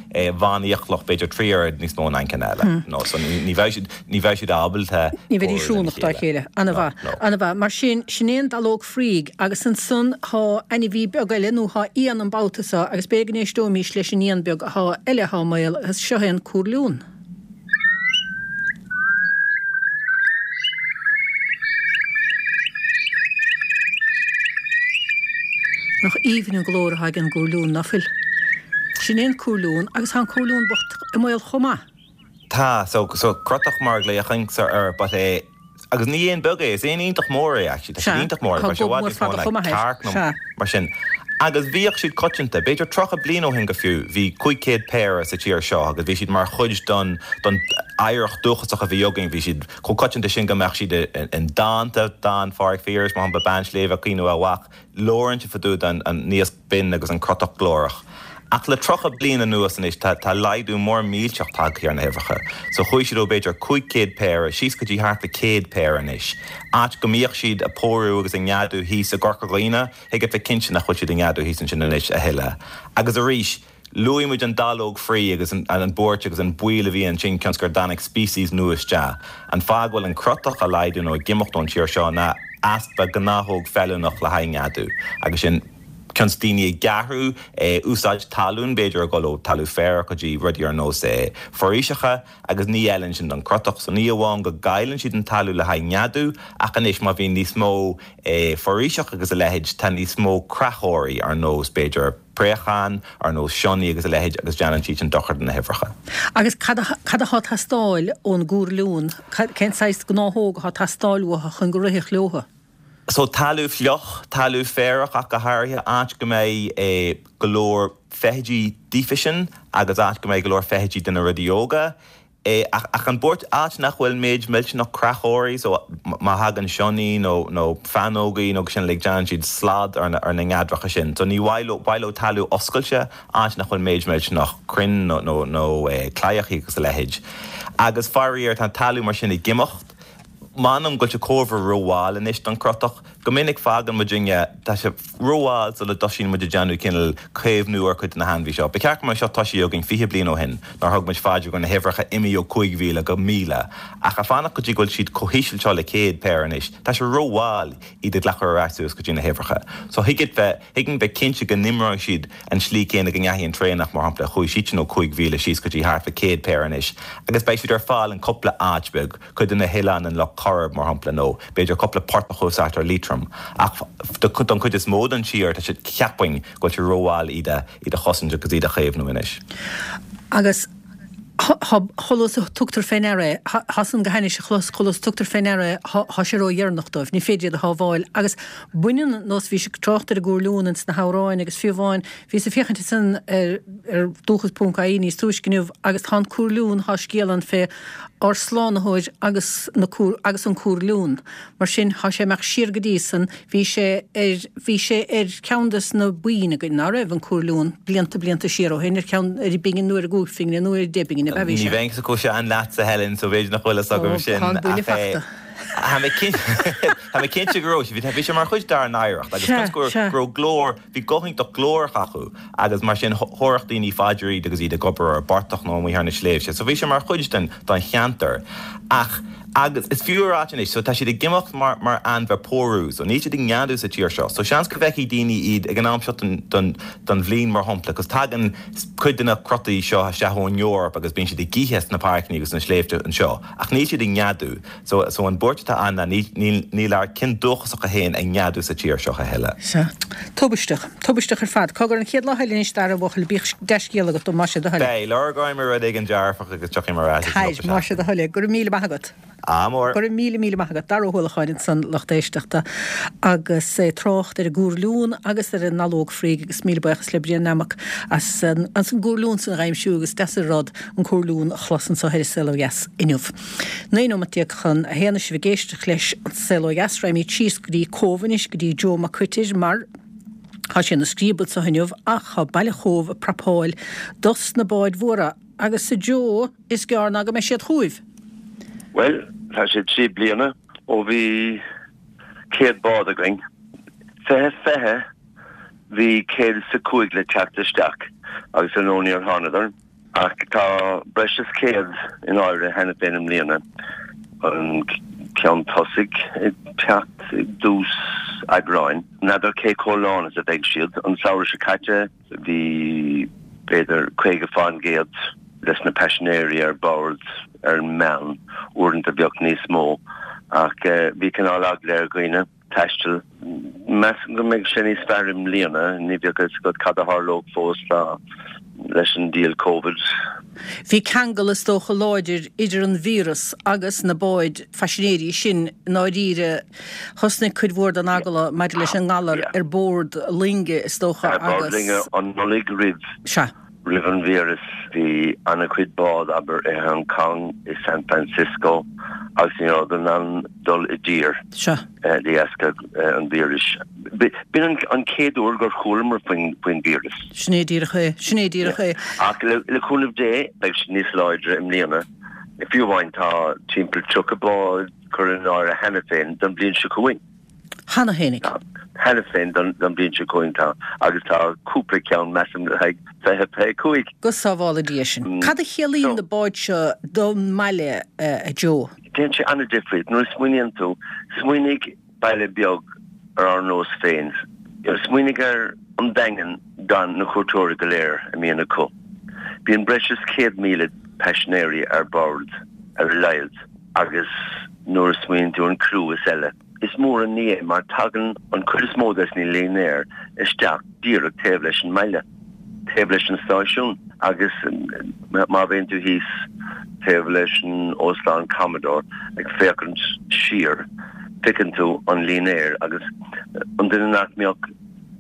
bhánfhiaclach b'fhéidir trí oiread níos mó ná an ceann eile. No, so ní, ní bheidh siad, ní bheidh siad ábalta Ní bheidís pórú lena oiriúnach dá chéile. chéile. Ana-mhaith, No, no. ana-mhaith. Mar sin, sin é an dallóg fraoigh agus ansan thá ainmhí beag eile nó thá éan an babhta seo agus b'fhéidir go n-éisteoimís leis an éan beag athá eile athá i mbaol agus seo é an cúrliún. Nach aoibhinn an glór atá ag an gcúrliún, ná fuil? Sin é an cúrliún agus tá an cúrliún bocht i mbaol chomh maith. Tá, so, so crotach mar a ghlaochainnse air, but é, agus ní éan beag é, is éan iontach mór é actually, tá sé iontach mór, Tá tá sé i gob bhfad mór níos mó fada ná chomh maith air. cearc nó Sea. mar sin. Agus bhíodh siad coitianta, b'fhéidir tríocha bliain ó shin go fiú, bhí cúig chéad péire sa tír seo agus bhí siad mar chuid don don oidhreacht dúchasach a bhí againn, bhí siad chomh coitianta sin go mbeadh siad i ndánta, dán Phádraig Phiarais, mar shampla, Bean Sléibhe Caoineadh a Mhac, labhrann sé fá dtaobh den an naosc binn agus an crotach glórach. Ach le tríocha bliain anuas anois tá tá laghdú mór millteach tagtha ar na huimhreacha. So chuaigh siad ó b'fhéidir cúig chéad péire síos go dtí thart le céad péire anois. Áit go mbíodh siad ag pórú agus ag neadú thíos i gCorca Dhuibhne, thig leat bheith cinnte nach bhfuil siad ag neadú thíos ansin anois a thuilleadh. Agus arís, luaigh muid an dallóg fraoigh agus an, an buairt agus an baol a bhí ansin cionn is gur dtáinig species nua isteach. An fáth go bhfuil an crotach ag laghdú nó ag imeacht ón tír seo ná easpa gnáthóg feiliúnach le haghaidh neadú. Agus sin cionn is daoine ag athrú úsáid talún, b'fhéidir ag dul ó talamh féarach go dtí rudaí ar nós foraoiseacha agus ní fheileann sin don crotach. So ní amháin go gcailleann siad an talamh le haghaidh neadú ach anois má bhíonn níos mó foraoiseach agus a leithéid tá níos mó creachóirí ar nós b'fhéidir préacháin, ar nós sionnaigh agus a leithéid agus déanann siad sin dochar do na huimhreacha. Agus cad atá ag teastáil ón gcúrliún, cén saghas gnáthóg atá ag teastáil uathu chun go rithfeadh leothu? So talamh fliuch, talamh féarach ach go háirithe, áit go mbeidh go leor feithidí daofasan agus áit go mbeidh go leor feithidí de na rudaí óga. Ach ach an buairt áit nach bhfuil méid millteanach creachóirí, so má thagann sionnaigh nó nó fáinleogaí nó sin like déanann siad slad ar na ar na neadracha sin. So ní mhaith leo mhaith leo talamh oscailte, áit nach bhfuil méid millteanach crainn nó nó nó claíochaí agus a leithéid. Agus faraor tá an talamh mar sin ag imeacht. M'anam go bhfuil sé chóir a bheith rómhall anois don chrotach. Go minic fágann muidinne, tá sé rómhall sula dtosaíonn muid ag déanamh cineál caomhnú ar chuid de na hainmhithe seo. Ba cheart go mbeadh seo tosaithe againn fiche bliain ó shin, nuair a thug muid faoi deara go raibh na huimhreacha imithe ó cúig mhíle go míle. Ach ag fanacht go dtí go bhfuil siad chomh híseal seo le céad péire anois, tá sé rómhall iad a ghlacadh ar ais suas go dtí na huimhreacha. So thig bheith, thig linn bheith cinnte go n-imreoidh siad an slí céanna go ndeachaigh an traonach, mar shampla, chuaigh siad sin ó cúig mhíle síos go dtí thart fá céad péire anois, agus beidh siad ar fáil in cúpla áit beag, cuid de na hoileáin in Loch Coirib, mar shampla, nó b'fhéidir cúpla portach thuas thart ar Liatroim. Ach don chuid is mó den tír, tá sé, cheapfainn go bhfuil sé rómhall iad a, iad a chosaint agus iad a chaomhnú anois. Agus chomh luath is a tugtar fé ndeara é, thá san go hainnis a chlos, chomh luath is a tugtar fé ndeara é, thá sé ródheireanach dóibh, ní féidir iad a shábháil. Agus baineann, nós bhís ag trácht ar an gcúrliún ins na hamhráin agus fiú amháin, bhíos ag féachaint ansan ar ar dúchas ponc ie níos túisce inniu agus tá an cúrliún, thá scéal ann fé ár Slánaitheoir agus na cúr, agus an cúrliún. Mar sin, thá sé ag imeacht siar go dtí san, bhí sé ar, bhí sé ar cheann des na boinn againn, ná raibh, an cúrliún, blianta, blianta siar ó shin, ar cheann, ar an bpingin nó ar an gcúig phingine nó ar an deich bpingine, ab ea bhí Ní sé? bheinnse chomh sean leatsa, Helen, so b'fhéidir nach bhfuil fhios agam Ó, sin, tá an buille ach eh, fachta. Tá mé cinnte, tá mé cinnte go raibh sé, bhí sé mar chuid dár n-oidhreacht agus Sea, cionn is go sea. go raibh glór, bhí guth iontach glórach acu agus mar sin thabharfadh daoine faoi deara iad agus iad ag obair ar an bportach nó amuigh ar na sléibhte. So bhí sé mar chuid den den cheantar. Ach agus is fiú a ráit anois, so tá siad ag imeacht mar mar ainmhithe pórú, so níl siad ag neadú sa tír seo. So seans go bhfeicfidh daoine iad ag an am seo den den den bhliain mar shampla, cos tagann cuid de na crotaí seo isteach ón Eoraip agus bíonn siad ag ithe sna páirceanna agus sna sléibhte anseo, ach níl siad ag neadú. So so an buairt atá ann ná níl níl níl ár gcinn dúchasacha féin ag neadú sa tír seo a thuilleadh. Sea. Tubaisteach. Tubaisteach ar fad. Cogar an chéad lá eile anois Dara, a bhuachaill, bíodh dea-scéal agat dom, más é do thoil. Beidh. Lorgóidh mé rud éigin dearfach agus tiocfaidh mé ar ais ag an Táid, deireadh más é do seachtaine. thoil. Go raibh míle maith agat. Ádh mór. Go raibh míle míle maith agat. Dara Ó hUallacháin ansan lucht éisteachta agus é ag trácht ar an gcúrliún agus ar an ndalóg fraoigh agus míle buíochas le Brian Nammock as an as an gcúrliún san a dh'aimsiú agus deas an rud an cúrliún a chlos anso ar An Saol Ó Dheas inniu. Naoi nóimeat déag chun a haon is sibh ag éisteacht leis An Saol Ó Dheas raghaimid síos go dtí Cóbh anois go dtí Joe Mac Coitir mar Tá sé ina scríob anso inniu ach tá baile Chóbh ag prapáil dos na báid mhóra agus a Joe is gearr ná go mbeidh siad chugaibh. Bhuel, tá sé trí bliana ó bhí céad bád againn. Fiche fiche bhí céad is a cúig le teacht isteach agus ar ndóigh níor thánadar. Ach tá breis is céad in áirithe cheana féin i mbliana, an ceann tosaigh ag teacht i dtús Aibreáin. N'fheadar cé chomh lán is a bheidh siad. An samhradh seo caite bhí b'fhéidir caoga fán gcéad des na paisinéirí ar bord ar an meán, uaireanta bheadh níos mó, ach bhí cineál eagla ar dhaoine. taisteal. Measaim go mbeidh sé níos fearr i mbliana, ní bheadh a fhios agat cad a tharlódh fós leis an diabhal Covid. Bhí ceangal is dócha láidir idir an víreas agus na báid phaisinéirí sin i ndáiríre. Thosnaigh cuid mhór den eagla maidir leis an ngalar ar bord loinge is dócha agus. Ar bord loinge an Nollaig roimh. Sea. Roimh an víreas bhí an-chuid bád, abair, i Hong Kong, i San Francisco agus ní rabhadar in ann dul i dtír de dheasca an víris. B'in an chéad uair gur chualamar faoin víreas. Sin é díreach é. Sin é díreach é. Ach le cúnamh Dé beidh sé níos láidre i mbliana. Fiú amháin tá timpeall tríocha bád curtha in áirithe cheana féin don bhliain seo chugainn. Cheana féinig. Cheana féin don bhliain seo chugainn tá, agus tá cúpla ceann, measaim, le haghaidh fiche fiche cúig. Go sábhála Dia sinn. Cad a chiallaíonn na báid seo don mbaile, a Joe? Déanann sé an-difríocht nuair a smaoiníonn tú. Smaoinigh baile beag ar ár nós féin. Smaoinigh ar an Daingean gan na cuairteoirí go léir a mbíonn acu. Bíonn breis is céad míle paisinéirí ar bord ar a laghad agus nuair a smaoiníonn tú an criú is eile. Is mór an ní é mar tagann an chuid is mó des na línéir isteach díreach taobh leis an mbaile, taobh leis an stáisiún agus má bhíonn tú thíos taobh leis an Óstán Commodore ag féachaint siar, feiceann tú an línéar agus an duine nach mbeadh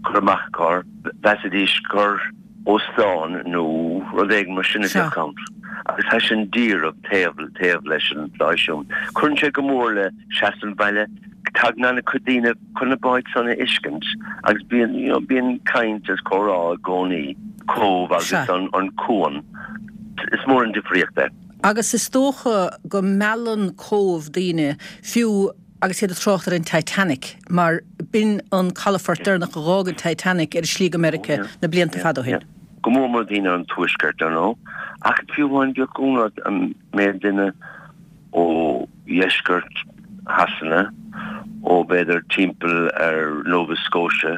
cur amach acu air, mheasfaidís gur óstán nó rud éigin mar sin a bheadh ann agus tá sin díreach taobh taobh leis an stáisiún. Cuireann sé go mór le seasamh an bhaile. Tagann an-chuid daoine chun na báid san a fheiscint agus bíonn you know bíonn caint is comhrá i gcónaí. Cóbh agus an an cuan. Is mór an difríocht é. Agus is dócha go meallann Cóbh daoine fiú agus iad ag trácht ar an Titanic, mar b'in an calafort deireanach a dh'fhág an Titanic ar a slí go Meiriceá na blianta fada ó shin. Go mór mór daoine ón tuaisceart, ar ndóigh, ach fiú amháin bheadh ionadh ort an méid duine ó dheisceart Shasana, ó b'fhéidir timpeall ar Nova Scotia,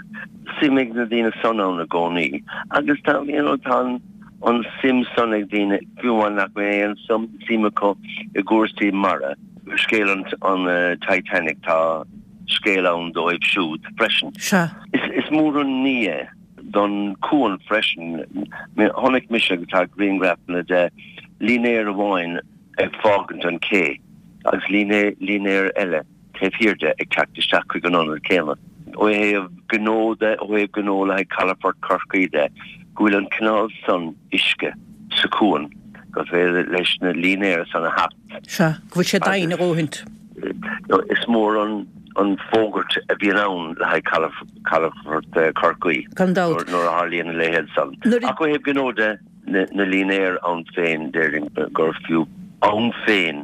suim ag na daoine san ann i gcónaí agus tá, you know, tá an suim san ag daoine, fiú amháin nach mbeadh aon suim acu i gcúrsaí mara. Scéal an Titanic, tá scéal ann dóibh siúd freisin. Sea. Is mór an ní é don chuan freisin. Chonaic mise, agus tá grianghrafanna de, línéar amháin ag fágaint an ché agus línéar eile taobh thiar de ag teacht isteach chuig an ionad céanna. Ó thaobh gnó de, ó thaobh gnó le haghaidh Calafort Chorcaí de, go bhfuil an cineál san uisce sa chuan gur féidir leis na línéir san a theacht. Sea, go bhfuil sé doimhin a dhóthaint. Is mór an fógairt a bhíonn ann le haghaidh Calafort Chorcaí Gan dabht. nuair a tharlaíonn a leithéid san. Ach ó thaobh gnó de, na línéir ann féin, déarfainn gur fiú ann féin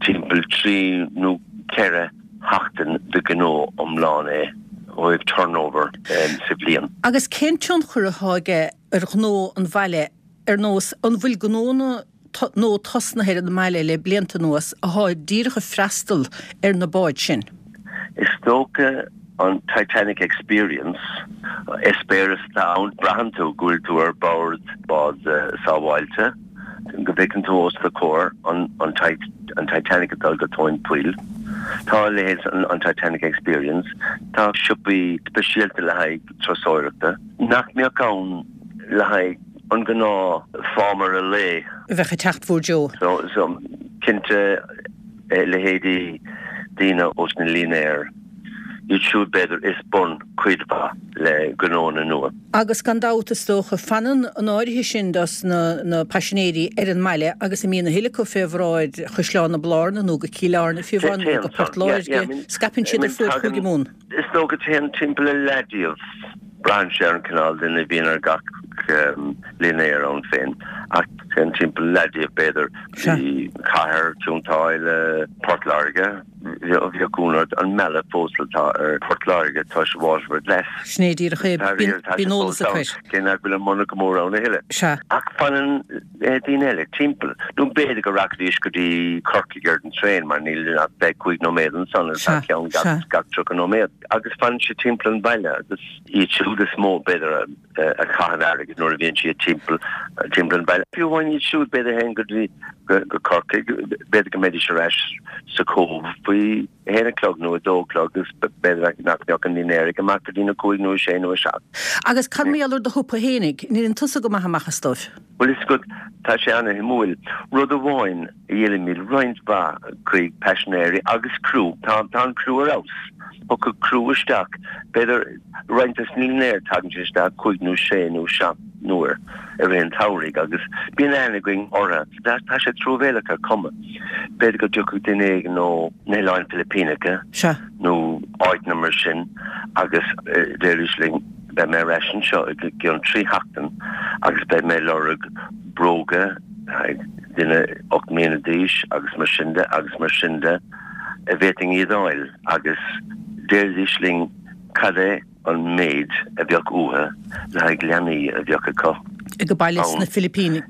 timpeall trí nó ceithre sheachtain de ghnó iomlán é ó thaobh turnover sa bhliain. Agus cén tionchar atá aige ar ghnó an bhaile ar nós, an bhfuil gnónna nó tosnaithe ar an mbaile le blianta anuas athá díreach ag freastal ar na báid sin? Is dócha an Titanic Experience, eispéireas atá ann, braitheann tú go bhfuil tú ar bord bád sábháilte, go bhfeiceann tú os do chomhair an Titanic ag dul go tóin poill. Tá a leithéid, an Titanic Experience, tá siopaí speisialta le haghaidh turasóireachta nach mbeadh ann le haghaidh an gnáth fámaire lae. A bheadh ag teacht bhur dtreo. So, cinnte, Leithéidí daoine ós na línéir, iad siúd b'fhéidir is bun cuid mhaith le gnónna nua. Agus gan dabht is dócha fanann an áirithe sin dos na na paisinéirí ar an mbaile agus a mbíonn a thuilleadh acu fé bhráid Chaisleán na Blarna nó go Cill Airne fiú amháin nó go Port Láirge, scaipeann siad ar fuaid Chúige Mumhan. Is dócha téann timpeall a leath díobh. Braitheann sé ar an cineál duine a bhíonn ar gach línéar ann féin ach téann timpeall leath díobh b'fhéidir go dtí cathair, Cionn tSáile, Port Láirge. Bheadh ionadh ort an mealladh fós atá ar Phort Láirge tois Waterford Glass. Sin é díreach é. Bíonn eolas acu air. Cé nach bhfuil an monarcha mór ann a thuilleadh. Sea. Ach fanann daoine eile timpeall. Nó b'fhéidir go rachaidís go dtí Corcaigh ar an traein mar níl ach fiche cúig nóiméad ansan agus tá ceann gach tríocha nóiméad. Agus fanann siad timpeall an bhaile agus iad siúd is mó b'fhéidir a chaitheann airgead nuair a bhíonn siad timpeall timpeall an bhaile. Fiú amháin iad siúd b'fhéidir a théann go dtí go Corcaigh, b'fhéidir go mbeidís ar ais sa Chóbh faoi a haon a chlog nó a dó a chlog agus b'fhéidir nach mbeadh an línéar ag imeacht go dtí na cúig nó a sé nó a seacht. Agus cad mar gheall ar do shiopa fhéinig? An itheann tusa go maith amach as dóibh? Bhuel, is go, tá sé ana-shuimiúil. Rud amháin a dhíolaimid roinnt mhaith chuig paisinéirí agus criú, tá tá an criú ar fheabhas. Thiocfadh criú isteach, b'fhéidir roinnt des na línéir, tagann siad isteach cúig nó sé nó seacht n-uair i rith an tsamhraidh agus bíonn aithne againn orthu. Tá sé truamhéalach ar chuma. B'fhéidir go dtiocfadh duine éigin ó na hOileáin Philipíneacha nó áiteanna mar sin agus déarfaidís linn, 'Beidh mé ar ais anseo i gcionn trí sheachtain agus beidh mé ag lorg bróga le haghaidh duine ocht mbliana d'aois agus mar sin de agus mar sin de, an bhféadfainn iad a fháil agus déarfaidís linn cad é an méid a bheadh uathu le haghaidh leanaí a bheadh acu Ag baile sna Filipínigh.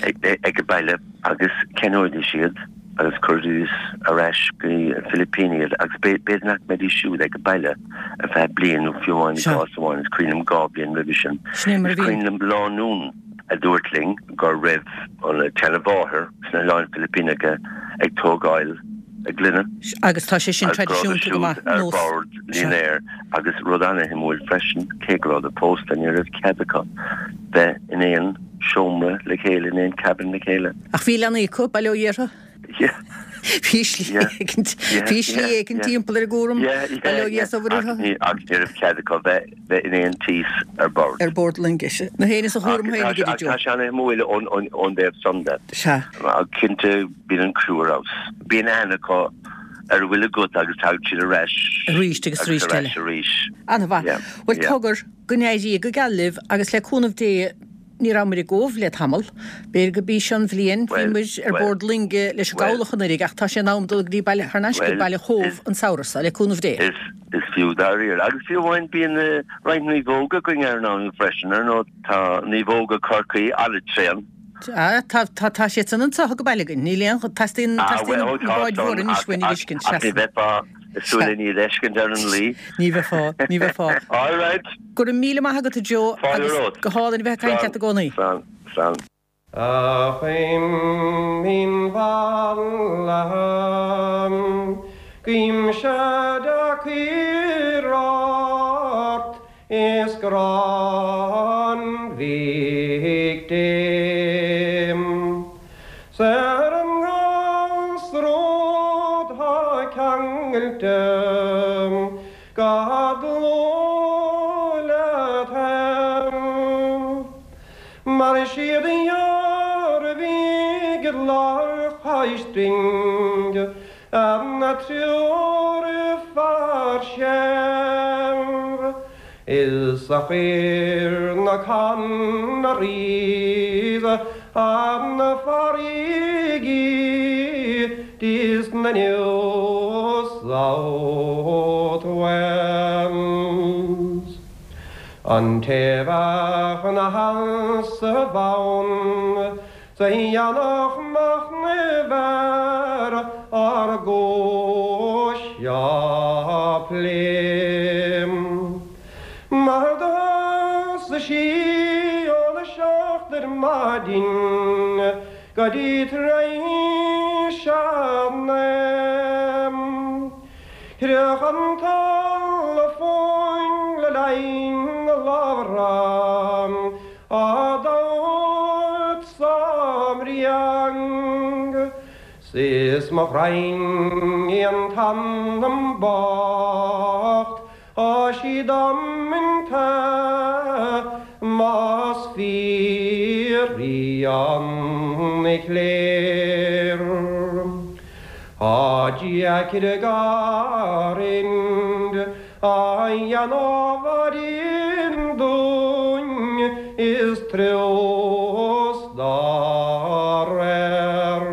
Ag baile agus cheannóidís iad agus chuiridís ar ais go dtí na Filipíní iad agus b'fhéidir nach mbeidís siúd ag baile ar feadh bliain nó fiú amháin i gcás amháin is cuimhin liom dhá bhliain roimhe sin. Sin é mar a Is cuimhin liom lánúin a dúirt linn go raibh an tseanmháthair sna hOileáin Philipíneacha ag tógáil a gclainne. Agus tá sé sin Agus go rabhadar traidisiúnta go siúd maith, ar nós. bord Sea. línéir agus rud ana-shuimiúil freisin, cé go rabhadar pósta, ní raibh cead acu bheith in aon seomra le chéile, in aon cabin le chéile. Ach bhí leanaí acu, bail ó Dhia orthu. Yeah. Bhí slí Yeah. éicint, Yeah, bhí slí yeah, éicint yeah. timpeall ar an gcúram, Yeah, yeah, bail ó Dhia yeah. is obair Ach orthu. ní, ach ní raibh cead acu bheith, bheith in aon tíos ar bord. Ar bord loingis. Na héinne sa Ach chúram tá féin sé, ag ach Joe. tá sé ana-shuimiúil ón, ón, ón dtaobh san de. Sea. Ach cinnte bíonn an criú ar fheabhas. Bíonn aithne acu ar a bhfuil agat agus tagann siad ar ais Arís agus agus arís ar eile. ais arís. Ana-mhaith. Yeah, Bhuel, yeah. cogar, go n-éirí go geal libh agus le cúnamh Dé ní rabhamar i gCóbh le tamall. B'fhéidir go b'í seo an bhliain, bhí Bhuel, muid ar bhuel, bord loinge leis an bhuel, gcabhlach anuraidh ach tá sé in am dul go dtí baile, thar n-ais go bhuel, baile Chóbh is, an samhradh seo, le cúnamh Dé. is, is fiú dáiríre. Agus fiú amháin bíonn roinnt naomhóga againn ar an am freisin, ar ndóigh tá naomhóga Chorcaí an-tréan. Ah, tá, tá, tá siad san anseo go baile againn. Níl aon, teastaíonn, Ah, teastaíonn bhuel, na tá báid mhóra san anois ach, uainn a ach, fheiscint, ach ní seasann. bheifeá ag súil Sea. len iad a fheiscint ar an Laoi. Ní bheifeá, ní bheifeá. All right. Go raibh míle maith agat a Joe Fáilte agus romhat. go hálainn a bheith ag caint Slán, leat i gcónaí. slán, slán. A chuimhin mhallaithe, guímse deacair ort is grá an Mhic Dé. 'S ar an nGlasród 'thá ceangailte go dlúth leat fhéin. Mar siad a dhearbhaigh i lár Chaistín an triúr fear searbh is a chuir na Canaries ar na farraigí dis na New South Wales. An té bheadh ina sheasamh ann 's a dhéanfadh machnamh ar ár gcúis á plé. Mar do thosaigh sí óna seacht ar maidin go dtí tar éis a naoi. Chroch an teileafóin le linn a labhartha á dtabhairt sa mbréag. 'S is mo ghraidhin í an t-anam bocht Tá sí damanta más fíor í an chléir. Tá deacair a garrind a dhéanamh dúinn is trios dá réir.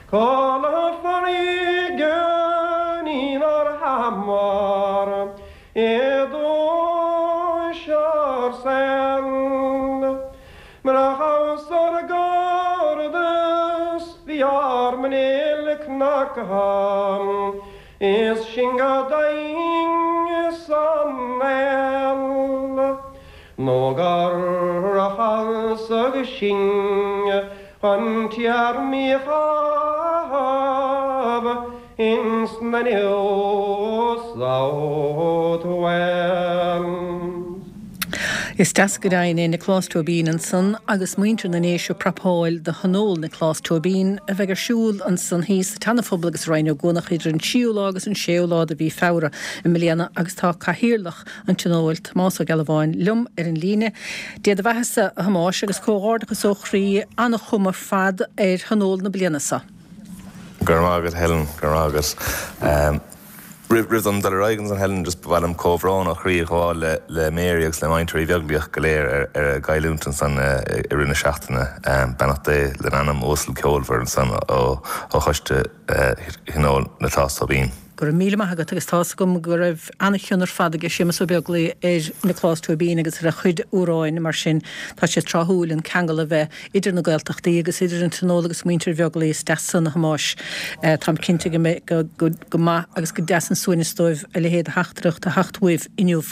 Cá na farraige inár hamar i dúisear saol. Murach ár gcairdeas bhí ár mbuinéal cnagtha is sinn go daingean san néal. Nó gur falsaigh sinn an téarmaí a chaitheamh ins na New South Wales. Is deas go deimhin é Nioclás Tóibín ansan agus muintir na nDéise ag prapáil do Thionól Nioclás Tóibín a bheidh ar siúl ansan thíos sa tSeana-Phobal agus i Rinn Ó gCuanach idir an tríú lá agus an séú lá de mhí Feabhra i mbliana agus tá cathaoirleach an Tionóil, Tomás Ó Gealbháin, liom ar an líne. Dé do bheathasa, a Thomáis, agus comhghairdeachas ó chroí, an-chuma ar fad ar Thionól na bliana seo. Go raibh maith agat Helen, go raibh maith agat. Roimh dom dul ar aghaidh ansan Helen just ba mhaith liom comhbhrón ó chroí a ghabháil le le Mary agus le muintir Uí Bheaglaoich go léir ar ar a gcailliúint ansan i rith na seachtaine. Beannacht Dé lena anam uasal ceolmhar ansan ó ó choiste Thionól Nioclás Tóibín. Go raibh míle maith agat agus tá's agam go raibh an-chion ar fad aige Séamus Ó Beaglaoich ar Nioclás Tóibín agus ar a chuid amhráin mar sin tá sé tráthúil an ceangal a bheith idir na Gaeltachtaí agus idir an Tionól agus muintir Bheaglaoich is deas san a Thomáis. Táim cinnte go mbeidh go go go maith agus go deas an suaimhneas dóibh a leithéid de theachtaireacht a theacht uaibh inniu.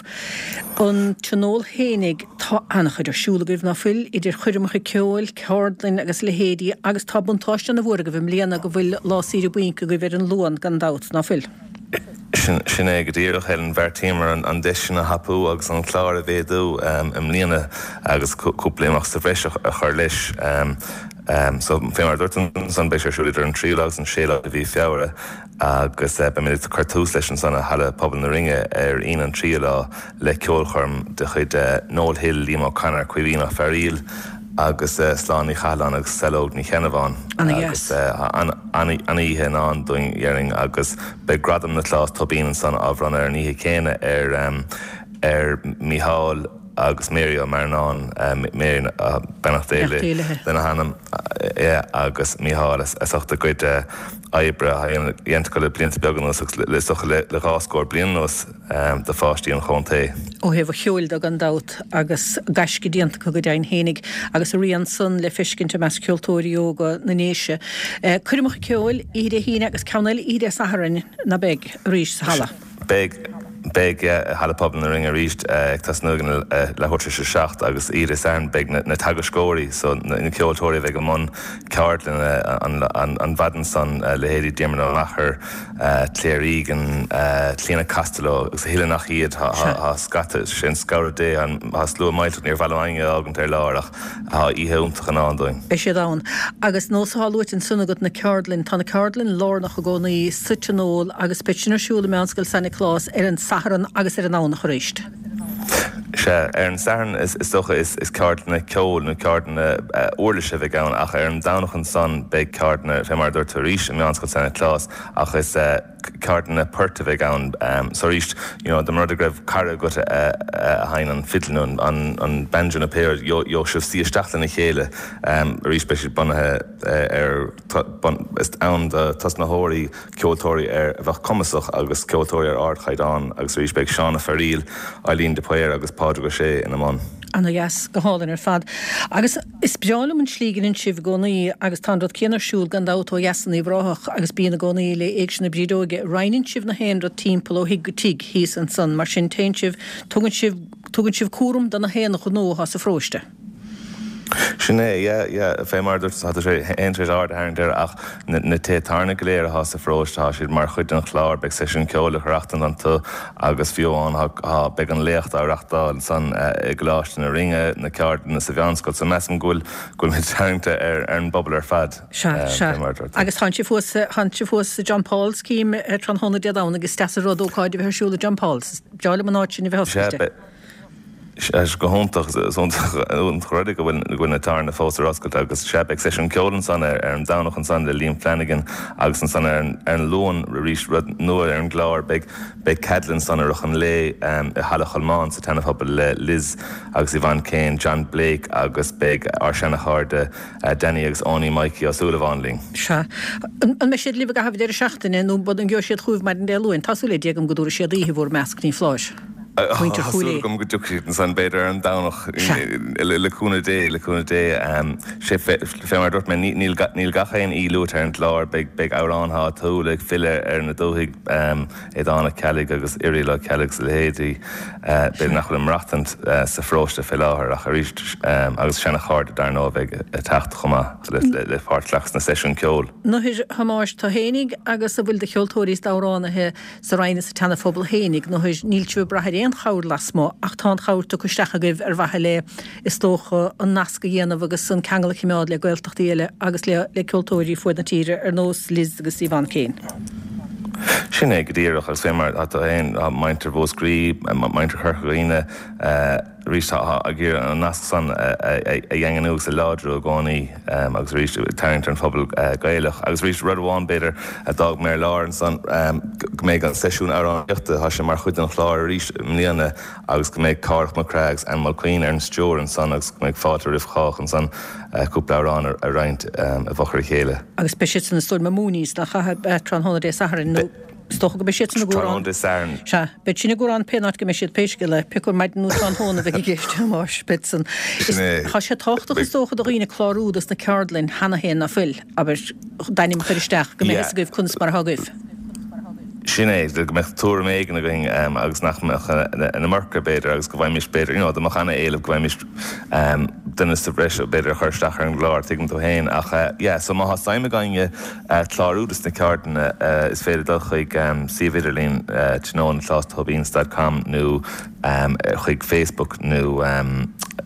An Tionól fhéinig tá an-chuid ar siúl agaibh ná fuil idir choirmeacha ceoil, ceardlainn agus leithéidí agus tá buntáiste ana-mhór agaibh i mbliana go bhfuil lá saoire bainc agaibh ar an Luan gan dabht, ná fuil? Sin é go díreach, Helen. Bheartaíomar an deis sin a thapú agus an clár a mhéadú i mbliana agus cúpla imeacht sa bhreis a chur leis. So fé mar a dúirt tú ansan beidh sé ar siúl idir an tríú lá agus an séú lá de mhí Feabhra agus beimid ag cur tús leis ansan i Halla Pobail na Rinne ar Aoine an tríú lá le ceolchoirm de chuid Noel Hill, Liam O'Connor, Caoimhín Ó Fearaíl agus Sláine Ní Chathalláin agus Saileog Ní Cheannabháin. Agus an-oíche i ndán dúinn déarfainn agus beidh Gradam Nioclás Tóibín ansan á bhronnadh ar an oíche chéanna ar ar Mícheál agus Mary Ó Mearnáin, Mary beannacht Dé lena hanam agus Mícheál as ucht a gcuid oibre a dhéanta acu le blianta beaga anuas agus le is dócha le dhá scór bliain anuas do pháistí an chontae. Ó thaobh an cheoil de gan dabht agus gaisce déanta acu go deimhin fhéinig agus a rian san le feiscint i measc ceoltóirí óga na nDéise. Coirmeacha ceoil, oíche Dé hAoine agus ceann eile oíche Dé Sathairn, ná beidh, arís sa halla? Beidh. Beidh i Halla Pobail na Rinne arís ag tosnú ag leathuair tar éis a seacht agus oíche Dé Sathairn beidh na teagascóirí, so na ceoltóirí a bheidh i mbun ceardlainne an mhaidin san, leithéidí Diarmuid Ó Meachair, Claire Egan, Clíona Costello agus a thuilleadh nach iad. Tá scata, sé an scanradh Dé, tá slua millteach, níor mhaith liom éinne a fhágaint ar lár ach tá oíche iontach i ndán dúinn. Beidh siad ann. Agus nós atá luaite ansan agat na ceardlainn, tá na ceardlainn lárnach i gcónaí sa Tionól agus beidh sin ar siúl i Meánscoil San Nioclás ar an Satharn agus ar an nDomhnach arís. Sea, ar an Satharn is dócha is ceardlanna ceoil nó ceardlanna uirlise a bheidh ann ach ar an Domhnach ansan beidh ceardlanna, fé mar a dúirt tú arís, i Meánscoil San Nioclás ach is ceardlanna poirt a bheidh ann. So arís, you know, dá mba rud é go raibh cara agat a sheinneann an fidil nó an banjo nó pé rud, gheobhaidh sibh suí isteach lena chéile. Arís beidh siad bunaithe ar, is ann do tosnaitheoirí, ceoltóirí ar a bheadh cumasach agus ceoltóirí ar ardchaighdeán agus arís beidh Seán Ó Fearaíl, Eileen de Paor agus Pádraig Ó Sé ina mbun. Ana dheas, go hálainn ar fad. Agus is breá liom an tslí go ndéanann sibh i gcónaí agus tá an rud céanna ar siúl gan dabht ó dheas in Uíbh Ráthach agus bíonn i gcónaí le Éigse na Brídeoige. Roinneann sibh na haon rud timpeall ó thigh go tigh thíos ansan, mar sin téann sibh, tugann sibh, tugann sibh cúram do na haon ghnó atá sa pharóiste. Sin é, yeah, yeah, fé mar dúirt tá sé aon tar éis aird a tharraingt air ach na tithe tábhairne go léir atá sa pharóiste tá siad mar chuid den chlár, beidh seisiún ceoil á reachtáil iontu agus fiú amháin tá beidh an léacht á reachtáil ansan i gColáiste na Rinne, na ceardlanna sa mheánscoil so measaim go bhfuil go bhfuil muid tarraingte ar ar an bpobal ar fad. Sea, sea. Fé mar a dúirt tú. Agus tánn sibh thuas, tánn sibh thuas i John Paul's cím tráthnóna Dé Domhnaigh is deas an rud ócáid a bheith ar siúl i John Paul's. Is breá liom an áit sin a bheith Sea, oscailte. beidh. Sea, go hiontach. Is iontach rud é go bhfuil na tábhairne fós ar oscailt agus sea, beidh seisiún ceoil ansan ar an Domhnach ansan le Liam Flanagan agus ansan ar an Luan arís, rud nua ar an gclár, beidh beidh ceardlann ansan i rith an lae i Halla Cholmáin sa tSeana-Phobal le Liz agus Yvonne Kane, John Blake agus beidh ár seana-chairde Danny agus Áine Mikey Ó Súilleabháin linn. Sea. An mbeidh siad libh i gcaitheamh deireadh seachtaine nó an ngeobhaidh siad chugaibh maidin Dé Luain? Tá súil ar Dia agam go dtabharfaidh siad oíche i bhur measc, ní foláir. Muintir Tá Chúil súil Aodha. agam go dtiocfaidh siad ansan, b'fhéidir ar an Domhnach, Sea. le cúnamh Dé, le cúnamh Dé. Sé, fé mar a dúirt mé, níl níl gach aon aoi luaite ar an gclár, beidh beidh amhráin áitiúla ag filleadh ar na dúthaigh, Aodhán Ó Ceallaigh agus Irial Ó Ceallaigh agus a leithéidí, b'fhéidir nach bhfuil ag maireachtaint sa pharóiste fé láthair ach arís, agus seana-chairde dar ndóigh a bheidh ag teacht chomh maith le le páirt a ghlacadh sna seisiúin ceoil. Anois a Thomáis, tú fhéinig agus a bhfuil de cheoltóirí is d'amhránaithe sa Rinn is sa tSeana-Phobal fhéinig, nó níl sibh ag brath ar aon chabhair lasmuigh ach tá an chabhair tugtha isteach agaibh ar mhaithe le, is dócha, an nasc a dhéanamh agus an ceangal a choimeád le Gaeltachtaí eile agus le le ceoltóirí fuaid na tíre ar nós Liz agus Yvonne Kane. Sin é go díreach agus fé mar atá féin, tá muintir Mhúscraí, muintir Chorca Dhuibhne, arís tá ag iarraidh an nasc san a dhaingniú agus a láidriú i gcónaí agus arís ag tarraingt ar an phobal Gaelach. Agus arís rud amháin b'fhéidir a d'fhág mé ar lár ansan, go mbeidh an seisiún amhránaíochta, tá sé mar chuid den chlár arís i mbliana agus go mbeidh Cárthach Mac Craith agus Anne Mulqueen ar an stiúir ansan agus go mbeidh fáilte roimh chách ansan cúpla amhrán a roinnt i bhfochair a chéile. Agus beidh siad san is dóigh liom i Mooney's nach ea tráthnóna Dé Sathairn nó is dócha go mbeidh siad san i gCuarán. Tráthnóna Dé Sathairn. Sea, beidh sin i gCuarán pé áit go mbeidh siad pé scéal é, pé acu ar maidin nó tráthnóna a bheidh i gceist, a Thomáis, beidh san. Sin é. Tá sé tábhachtach is dócha do dhaoine clárú dos na ceardlainn cheana féin ná fuil, abair, d'ainm a chur isteach, go mbeidh Yeah. fhios agaibh conas mar atá agaibh. Sin é, go mbeadh tuairim éigin againn agus nach mbeadh an iomarca b'fhéidir agus go bhfaighimís b'fhéidir, you know, dá mbeadh ana-éileamh go bhfaighimís duine sa bhreis b'fhéidir a chur isteach ar an gclár, tuigeann tú féin. Ach yeah, so má tá suim ag éinne clárú dos na ceardlanna is féidir dul chuig suíomh idirlín tionól Nioclás Tóibín dot com nó chuig Facebook nó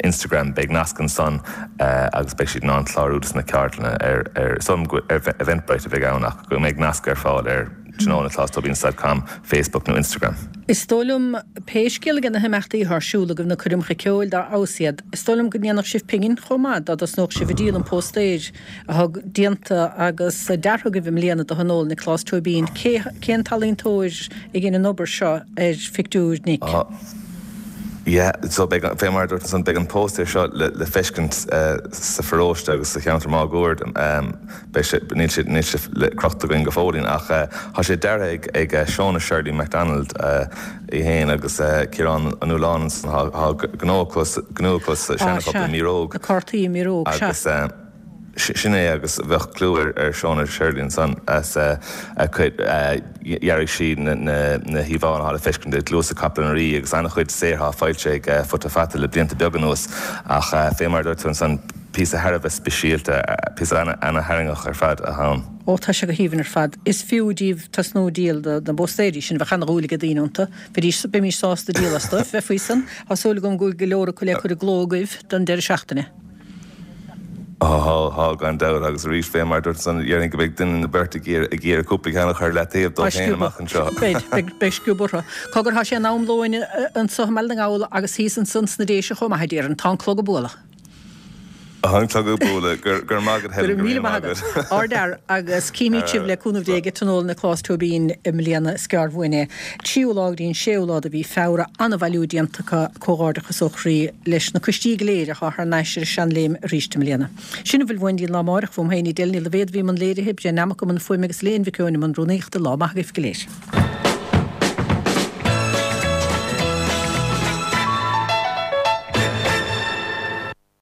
Instagram, beidh nasc ansan agus beidh siad in ann clárú dos na ceardlanna ar, ar, ar Eventbrite a bheidh ann ach go mbeidh nasc ar fáil ar tionól Nioclás Tóibín dot com, Facebook nó Instagram. Is dóigh liom, pé scéal é na himeachtaí atá ar siúl agaibh na coirmeacha ceoil dá fheabhas iad, is dóigh liom go ndéanfadh sibh pingin chomh maith dá dtosnódh sibh ag díol an póstaeir atá déanta agus deartha agaibh i mbliana do Thionól Nioclás Tóibín. Cé, cén t-ealaíontóir a dhein an obair seo ar phictiúr Nic? Yeah, so beidh, fé mar a dúirt ansan, beidh an póstaer seo le, le feiscint sa pharóiste agus sa cheantar máguaird. Beidh sé, níl sé, níl sé le crochta againn go fóillín ach tá sé deartha ag, ag Shona Shirley MacDonald í fhéin agus Ciarán Ó Nualláin ansan, tá, tá gnó acu, gnó acu sa Ah, Seana-Phobal sea, i Míróg. na cártaí i Míróg, sea. Agus. Sin é agus bheadh clú ar Shona Shirley ansan as a cuid, dhearaigh sí na híomhánna atá le feiscint i gcluasa Capall an Rí agus an-chuid saothar atá foilsithe ag Futa Fata le blianta beaga anuas ach fé mar a dúirt tú ansan, píosa thar a bheith speisialta, píosa ana-tharraingteach ar fad atá ann. Ó, tá sé go haoibhinn ar fad. Is fiú díbh tosnú ag díol na bpóstaeirí sin, bheadh ana-dhúil ag daoine iontu. Bheidís, bheimís sásta díol astu, bheith faoi san. Tá súil agam go bhfuil go leor acu le cur i gcló agaibh don deireadh seachtaine. Tá, tá, gan dabht, agus arís, fé mar a dúirt ansan, déarfainn go mbeidh duine nó beirt ag iarraidh, ag iarraidh cúpla ceann a chur leataobh Tá dóibh féin sciobadh. amach anseo. Beidh, beidh, beidh sciobadh orthu. Cogar, tá sé in am lóin anso i mBaile na nGall agus thíos ansan sna Déise chomh maith, a déarfainn. Tá an clog ag bualadh. Tá an clog ag bualadh. Go, go raibh maith agat, Go Helen, raibh go míle raibh maith maith agat. agat. Ardfhear, agus címid sibh le cúnamh Dé ag Tionól Nioclás Tóibín i mbliana, is gearr uainn é. Tríú lá go dtí an séú lá de mhí Feabhra, an-bhailiú déanta acu, comhghairdeachas ó chroí leis na coistí go léir atá thar n-ais ar an seanléim arís i mbliana. Sin a bhfuil uainn go dtí an lá amáireach, uaim féin Edel Ní Loibhéad a bhí i mbun léirithe, Brian Nammock i mbun fuaime agus Elaine Mhic Eoin i mbun rúnaíochta, lá maith agaibh go léir.